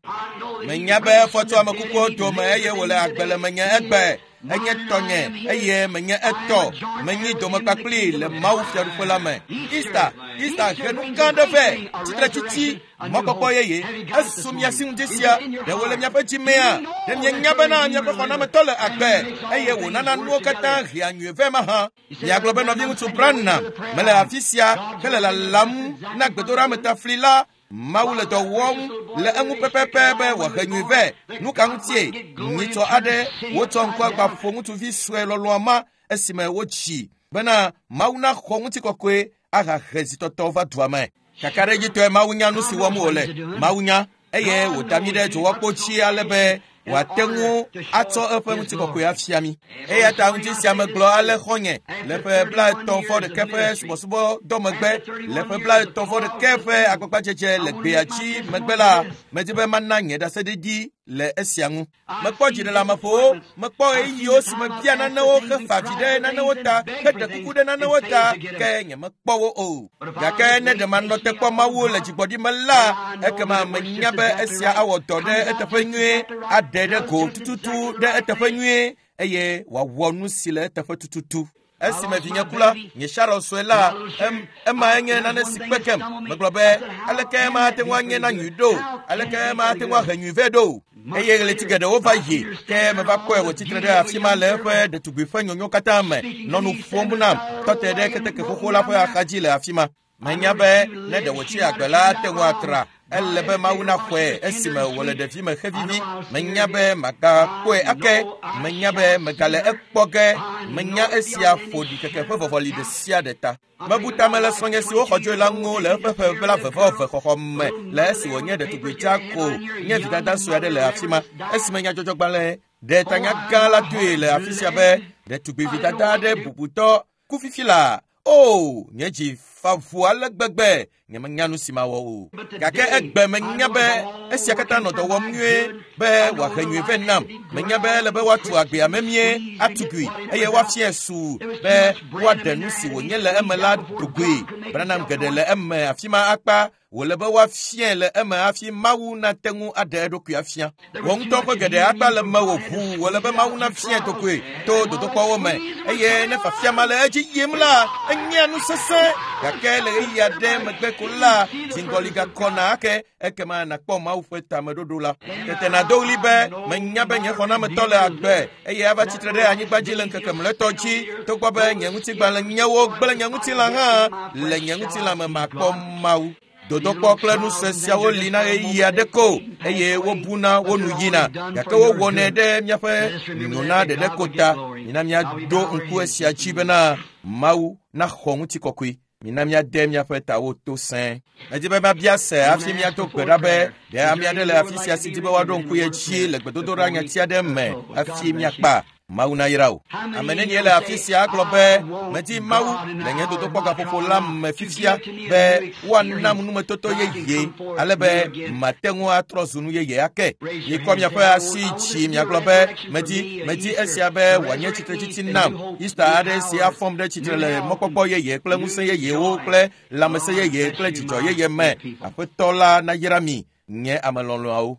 Menya be efɔ tso ame kukuwo dome eye wòle agbe le menye egbe. Enye tɔnye eye menye etɔ. Menyi dome kpakpli le Mawu fiaɖuƒe la me. Easter, Easter he nu gã aɖe vɛ, tsitretsitsi, mɔkpɔkpɔ yeye. Esu mia si ŋdi sia, ɖe wòle miaƒe dzi mea? Ɖe mienya bena miaƒe xɔnametɔ le agbe eye wònana nuwo katã hea nyui vɛ mahã? Miagblɔ be nɔviŋutsu Branham mele afi sia hele lalam na gbedoɖametafli la. Mawu le dɔ wɔm le eŋu pɛpɛpɛ be wòahe nyui vɛ. Nu ka ŋutie? Nyitsɔ aɖe wotsɔ ŋkuagba ƒo ŋutsuvi sue lɔlɔ̃a ma esime wotsi bena Mawu naxɔ ŋutikɔkɔe ahahe zitɔtɔ va dua me. Kakaɖedzitɔe Mawu nya nu si wɔm wòle. Mawu nya eye wòda mí ɖe dzowɔkpo dzi ale be wòate ŋu atsɔ eƒe ŋutikɔkɔe afia mí. Eya ta ŋuti sia megblɔ ale xɔ̃nye le ƒe 33 vɔ ƒe subɔsubɔdɔ megbe, le ƒe 33 vɔ ƒe agbagbadzedze le gbea dzi megbe la, medi be mana nye ɖaseɖiɖi le esia ŋu. Mekpɔ dziɖeleameƒowo, mekpɔ ɣeyiɣiwo si mebia nanewo hefa vi ɖe nanewo ta, heɖe kuku ɖe nanewo ta, ke nyemekpɔ wo o. Gake ne ɖe manɔ te kpɔ Mawu le dzigbɔɖi me la, ekema menya be esia awɔ dɔ ɖe eteƒe nyuie, aɖe ɖe go tututu ɖe eteƒe nyuie, eye wòawɔ nu si le eteƒe tututu. Esime vinye ku la, nye Sharon sue la, ema enye nane si kpe kem. Megblɔ be, aleke ema ate ŋu anye na nyui ɖo? Aleke ema ate ŋu ahe nyui vɛ ɖo? Eye ɣleti geɖewo va yi, ke meva kpɔe wòtsitre ɖe afi ma le eƒe ɖetugbui ƒe nyonyo katã me, nɔ nu ƒom nam, tɔ te ɖe keteke xoxo la ƒe axadzi le afi ma. Menya be ne ɖe wòtsi agbe la, ate ŋu atra. Ele be Mawu naxɔe esime wòle ɖevime xevivi. Menya be magakpɔe ake. Menya be megale ekpɔ ge. Menya esia ƒo ɖikeke ƒe vɔvɔli ɖe sia ɖe ta. Mebu tame le srɔ̃nye si woxɔ dzoe la ŋu le eƒe ƒe 22 xɔxɔ me le esi wònye ɖetugbui dzaa ko nye vidada sue aɖe le afi ma. Esime nyadzɔdzɔgbalẽ ɖe tanya gã la doe le afi sia be ɖetugbui vidada aɖe bubutɔ ku fifi la. O, nye dzi fa ʋu ale gbegbe, nyemenya nu si mawɔ o. Gake egbe menya be esia katã nɔ dɔ wɔm nyuie be wòahe nyui vɛ nam. Menya be ele be woatu agbea memie, atugui eye woafiae su be woaɖe nu si wònye le eme la dogoe. Branham geɖe le eme afi ma akpa wòle be woafiae le eme hafi Mawu nate ŋu aɖe eɖokui afia. Wò ŋutɔ ƒe geɖe akpa le mewò ʋuu wòle be Mawu nafiae dogoe to dodokpɔwo me. Eye ne fafia ma le edzi yim la, enyea nu sesẽ. Gake le ɣeyiɣi aɖe megbe ko la, dziŋgɔli gakɔna ake, ekema nàkpɔ Mawu ƒe tameɖoɖo la. Tete nàdo ɣli be, menya be nye xɔnametɔ le agbe eye ava tsitre ɖe anyigba dzi le ŋkeke mlɔetɔ dzi, togbɔ be nye ŋutigbalẽ nyewo gblẽ nye ŋutilã hã, le nye ŋutilã me makpɔ Mawu. Dodokpɔ kple nu sue siawo li na ɣeyiɣi aɖe ko eye wobuna wo nu yina, gake wowɔnɛ ɖe míaƒe nyona ɖeɖe ko ta. Mina míaɖo ŋku esia dzi bena Mawu naxɔ ŋutikɔkɔe. Mina míade míaƒe tawo to sẽe. Medi be mabia se hafi míado gbe ɖa be ɖe ame aɖe le afi sia si di be woaɖo ŋku ye dzi le gbedodoɖa nyati aɖe me hafi míakpa. Mawu nayra wò. Ame nenie le afi sia agblɔ be medi Mawu le nye dodokpɔ gaƒoƒo la me fifia be woanam numetoto yeye ale be mate ŋu atrɔ zu nu yeye ake. Mikɔ miaƒe asi dzi miagblɔ be medi esia be wòanye tsitretsitsi nam. Easter aɖe si afɔm ɖe tsitre le mɔkpɔkpɔ yeye kple ŋusẽ yeyewo kple lãmesẽ yeye kple dzidzɔ yeye me. Aƒetɔ la nayra mi, nye ame lɔlɔ̃awo.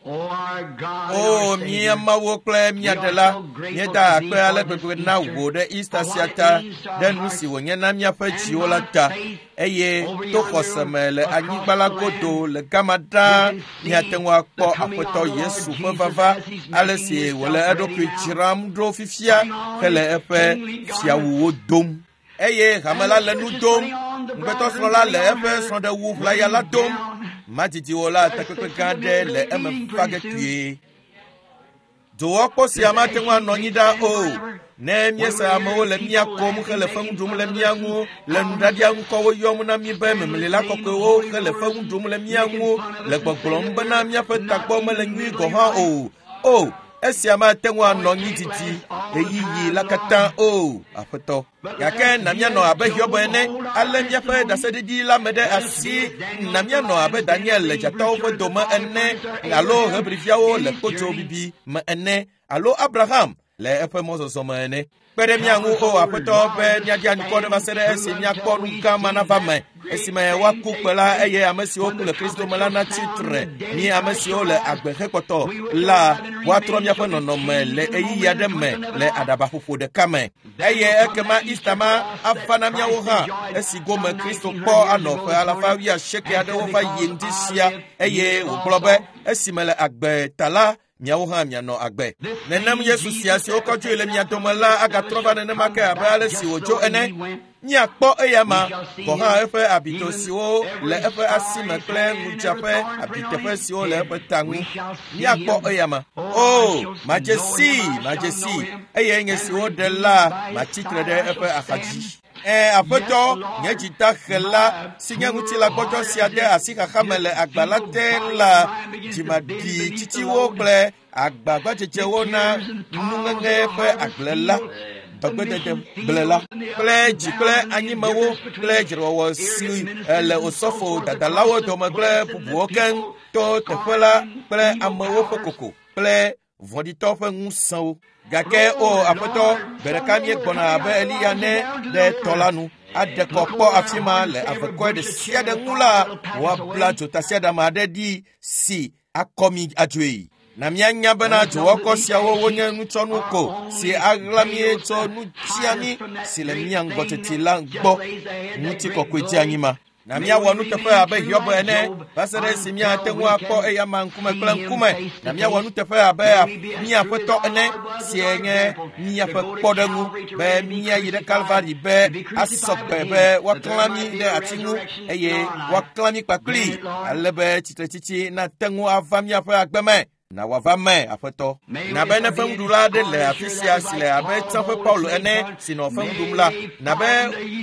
O mía Mawu kple mía Ɖela, míeda akpe ale gbegbe na wò ɖe Easter sia ta, ɖe nu si wònye na míaƒe dziwo la ta, eye to xɔse me le anyigba la godo le gama ɖaa míate ŋu akpɔ Aƒetɔ Yesu ƒe vava, ale si wòle eɖokui dzram ɖo fifia hele eƒe fiawuwo dom. Eye hame la le nu dom, ŋugbetɔsrɔ̃ la le eƒe srɔ̃ɖewu ʋlaya la dom. Madidi o la, takpekpe gã aɖe le eme va ge kpuie. Dowɔkpɔ sia mate ŋu anɔ anyi ɖaa o. Ne míese amewo le mía kom hele fewu ɖum le mía ŋu, le nuɖaɖia ŋkɔwo yɔm na mí be memlila kɔkɔewo hele fewu ɖum le mía ŋu, le gbɔgblɔm bena míaƒe tagbɔ mele nyui gɔ̃ hã o. O, esia mate ŋu anɔ anyi didi ɣeyiɣi la katã o, Aƒetɔ. Gake na míanɔ abe Hiob ene, alé míaƒe ɖaseɖiɖi la me ɖe asi. Na míanɔ abe Daniel le dzatawo ƒe dome ene, alo Hebriviawo le kpodzo bibi me ene, alo Abraham le eƒe mɔzɔzɔ me ene. Kpe ɖe mía ŋu, o Aƒetɔ, be míaɖi anukɔ ɖe va se ɖe esi míakpɔ nu gã ma nava me, esime woaku kpe la eye ame siwo ku le Kristo me la natsi tre. Mí ame siwo le agbe hekpɔtɔ la, woatrɔ míaƒe nɔnɔme le ɣeyiɣi aɖe me le aɖabaƒoƒo ɖeka me. Eye ekema Easter ma ava na míawo hã, esi gome Kristo kpɔ anɔ ƒe alafa wuiasieke aɖewo va yi ŋdi sia, eye wògblɔ be, esime le agbe ta la, miawo hã mianɔ agbe. Nenem Yesu sia si wokɔ dzoe le mia dome la agatrɔ va nenema ke abe ale si wòdzo ene. Míakpɔ eyama gɔ̃ hã eƒe abito siwo le eƒe asi me kple ŋudza ƒe abiteƒe siwo le eƒe ta ŋu. Míakpɔ eyama. O, madze sii, madze sii, eye nye si woɖe la matsi tre ɖe eƒe axadzi. Ẽ, Aƒetɔ, nye dzi dahe la, si nye ŋutilãgbɔdzɔ sia de asi xaxa me le agba la te la, dzimaɖitsitsiwo kple agbagbadzedzewo na nuŋeŋe ƒe agble la, dɔgbedede gble la, kple dzi kple anyimewo kple dzrewɔwɔ si le osɔfo dadalawo dome kple bubuwo keŋ to teƒe la kple amewo ƒe koko kple vɔ̃ɖitɔ ƒe ŋusẽwo. Gake o Aƒetɔ, gbe ɖeka míegbɔna abe Eliya ne ɖe tɔ la nu, aɖe kɔ kpɔ afi ma le avekɔe ɖe sia ɖe ŋu la, woabla dzotasiaɖam aɖe ɖi si akɔ mi adzoe. Na míanya bena dzowɔkɔ siawo wonye nutsɔnu ko si aɣla mí tso nutsiami si le mía ŋgɔ teti la gbɔ ŋutikɔkɔe dzi anyi ma. Na míawɔ nuteƒe abe Hiob ene va se ɖe esi míate ŋu akpɔ eyama ŋkume kple ŋkume. Na míawɔ nuteƒe abe mía Aƒetɔ ene si nye míaƒe kpɔɖeŋu be míayi ɖe Kalvari be asɔ gbe be woaklã mí ɖe ati ŋu eye woaklã mí kpakpli ale be tsitretsitsi nate ŋu ava míaƒe agbe me. Na wòava me, Aƒetɔ. Na be ne feŋuɖula aɖe le afi sia si le abe tsã ƒe Paulo ene si nɔ feŋu ɖum la, na be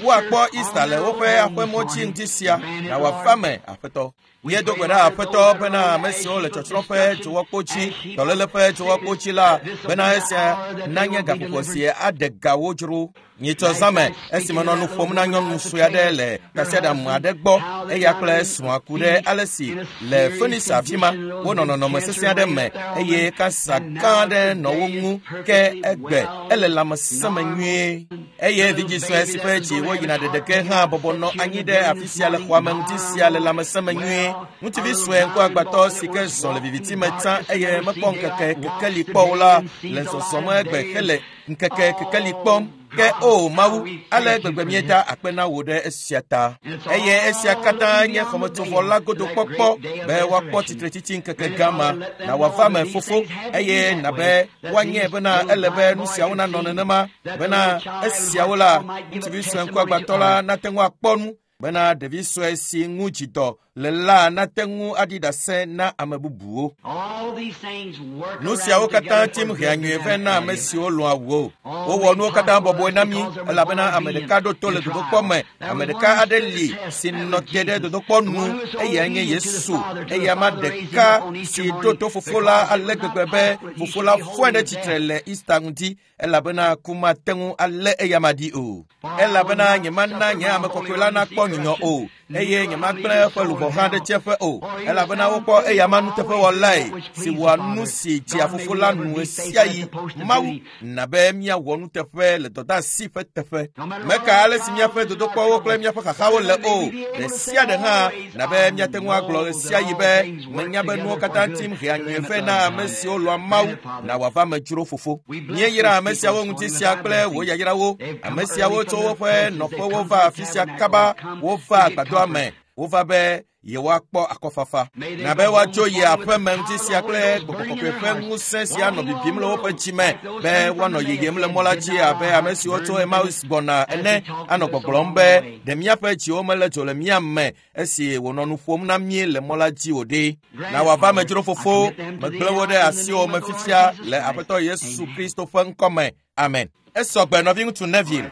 woakpɔ Easter le woƒe aƒemɔ dzi ŋdi sia. Na wòava me, Aƒetɔ. Míedo gbe ɖa, Aƒetɔ, bena ame siwo le tsɔtsrɔ̃ ƒe dzowɔkpo dzi, dɔléle ƒe dzowɔkpo dzi la, bena esia nanye gaƒoƒo si aɖe ga wo dzro. Nyitsɔ zã me esime nɔ nu ƒom na nyɔnu sue aɖe le tasiaɖam aɖe gbɔ, eya kple srɔ̃a ku ɖe ale si le Phoenix afi ma wonɔ nɔnɔme sesẽ aɖe me eye kansa gã aɖe nɔ wo ŋu, ke egbe ele lãmesẽ me nyuie. Eye vidzĩ sue si ƒe dzi woyina ɖeɖeke hã bɔbɔ nɔ anyi ɖe afi sia le xɔa me ŋuti sia le lãmesẽ me nyuie. Ŋutsuvi sue ŋkuagbãtɔ si ke zɔ le viviti me tsã eye mekpɔ ŋkeke kekeli kpɔ o la le zɔzɔm egbe hele ŋkeke kekeli kpɔm. Ke o Mawu, ale gbegbe míeda akpe na wò ɖe esia ta. Eye esia katã nye xɔmetsovɔ la godo kpɔkpɔ be woakpɔ tsitretsitsi ŋkeke gã ma. Na wòava me, Fofo, eye na be woanye bena ele be nu siawo nanɔ nenema, bena esiawo la, ŋutsuvi sue ŋkuagbãtɔ la nate ŋu akpɔ nu, bena ɖevi sue si ŋu dzidɔ le la nate ŋu aɖi ɖase na ame bubuwo. Nu siawo katã tim hea nyuie vɛ na ame siwo lɔ̃a wò. Wowɔ nuwo katã bɔbɔe na mí, elabena ame ɖeka ɖo to le dodokpɔ me. Ame ɖeka aɖe li si nɔ te ɖe dodokpɔ nu, eyae nye Yesu. Eyama ɖeka si ɖo to Fofo la ale gbegbe be Fofo la fɔe ɖe tsitre le Easter ŋdi, elabena ku mate ŋu alé eyama ɖi o. Elabena nyemana nye ame kɔkɔe la nakpɔ nyunyɔ o. eye nyemagblẽ eƒe luʋɔ hã ɖe tsiẽƒe o, elabena wokpɔ eyama nuteƒewɔlae si wɔa nu si dzea Fofo la nu ɣesiaɣi. Mawu na be míawɔ nuteƒe le dɔdeasi ƒe teƒe. Meka ale si míaƒe dodokpɔwo kple míaƒe xaxawo le o, ɖe sia ɖe hã na be míate ŋu agblɔ ɣesiaɣi be menya be nuwo katã tim hea nyuie vɛ na ame siwo lɔ̃a Mawu na wòava me dzro Fofo. Míeyra ame siawo ŋuti sia kple wò yayrawo. Ame siawo tso woƒe nɔƒewo va afi sia kaba, wova agbadɔa me, wova be yewoakpɔ akɔfafa. Na be woatso yi aƒe me ŋuti sia kple Gbɔgbɔ Kɔkɔe ƒe ŋusẽ sia nɔ bibim le woƒe dzi me be woanɔ yiyim le mɔ la dzi abe ame siwo tso Emmaus gbɔna ene, anɔ gbɔgblɔm be ɖe míaƒe dziwo mele dzo le mía me esi wònɔ nu ƒom na mí le mɔ la dzi o ɖe. Na wòava me dzro Fofo, megblẽ wo ɖe asiwò me fifia le Aƒetɔ Yesu Kristo ƒe ŋkɔ me. Amen. Esɔgbe nɔviŋutsu Neville.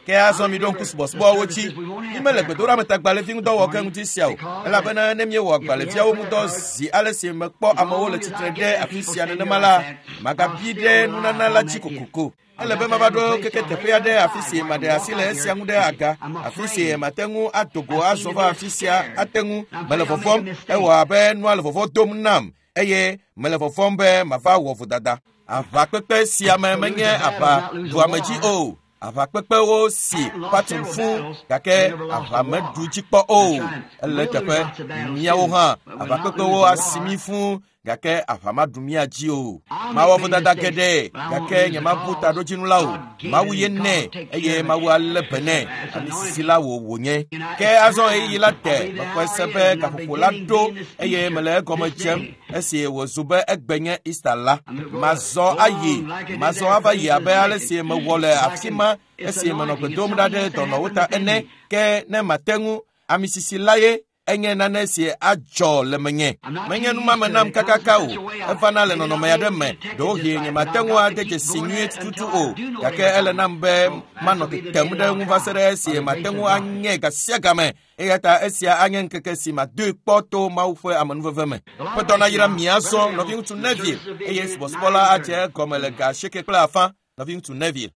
Ke azɔ miɖo ŋku subɔsubɔwo dzi. Mímele gbedoɖametagbalẽvi ŋudɔ wɔ ge ŋuti sia o, elabena ne míewɔ agbalẽviawo ŋudɔ zi ale si mekpɔ amewo le tsitre ɖe afi sia nenema la, magabi ɖe nunana la dzi kokoko. Ele be mava ɖo keke teƒe aɖe afi si maɖe asi le esia ŋu ɖe aga, afi si mate ŋu ado go azɔ va afi sia ate ŋu. Mele vɔvɔ̃m, ewɔ abe nua le vɔvɔ̃ dom nam eye mele vɔvɔ̃m be mava wɔ vodada. Aʋakpekpe sia me menye aʋa ɖuame dzi o. Aʋakpekpewo si Patson fũ gake aʋa meɖu dzi kpɔ o. Ele teƒe míawo hã aʋakpekpewo asi mí fũ gake aʋa maɖu mía dzi o. Mawɔ vodada geɖe gake nyemabu taɖodzinu la o. Mawu ye nɛ eye Mawu alé be nɛ. Ami sisi la wò wònye. Ke azɔ ɣeyiɣi la de, mexɔe se be gaƒoƒo la ɖo eye mele egɔme dzem esi wòzu be egbe nye Easter la. Mazɔ ayi, mazɔ ava yi abe ale si mewɔ le afi ma esi menɔ gbe dom ɖa ɖe dɔnɔwo ta ene. Ke ne mate ŋu, ami sisi la ye enye nane si adzɔ le menye. Menye numame nam kakaka o, evana le nɔnɔme aɖe me. Ɖewohĩ nyemate ŋu ade dzesi nyuie tututu o, gake ele nam be manɔ tetem ɖe eŋu va se ɖe esi mate ŋu anye ga sia game. Eya ta esia anye ŋkeke si madoe kpɔ to Mawu ƒe amenuveve me. Ƒetɔ nayra mi azɔ, nɔviŋutsu Neville, eye subɔsubɔ la adze egɔme le ga 8:30. Nɔviŋutsu Neville.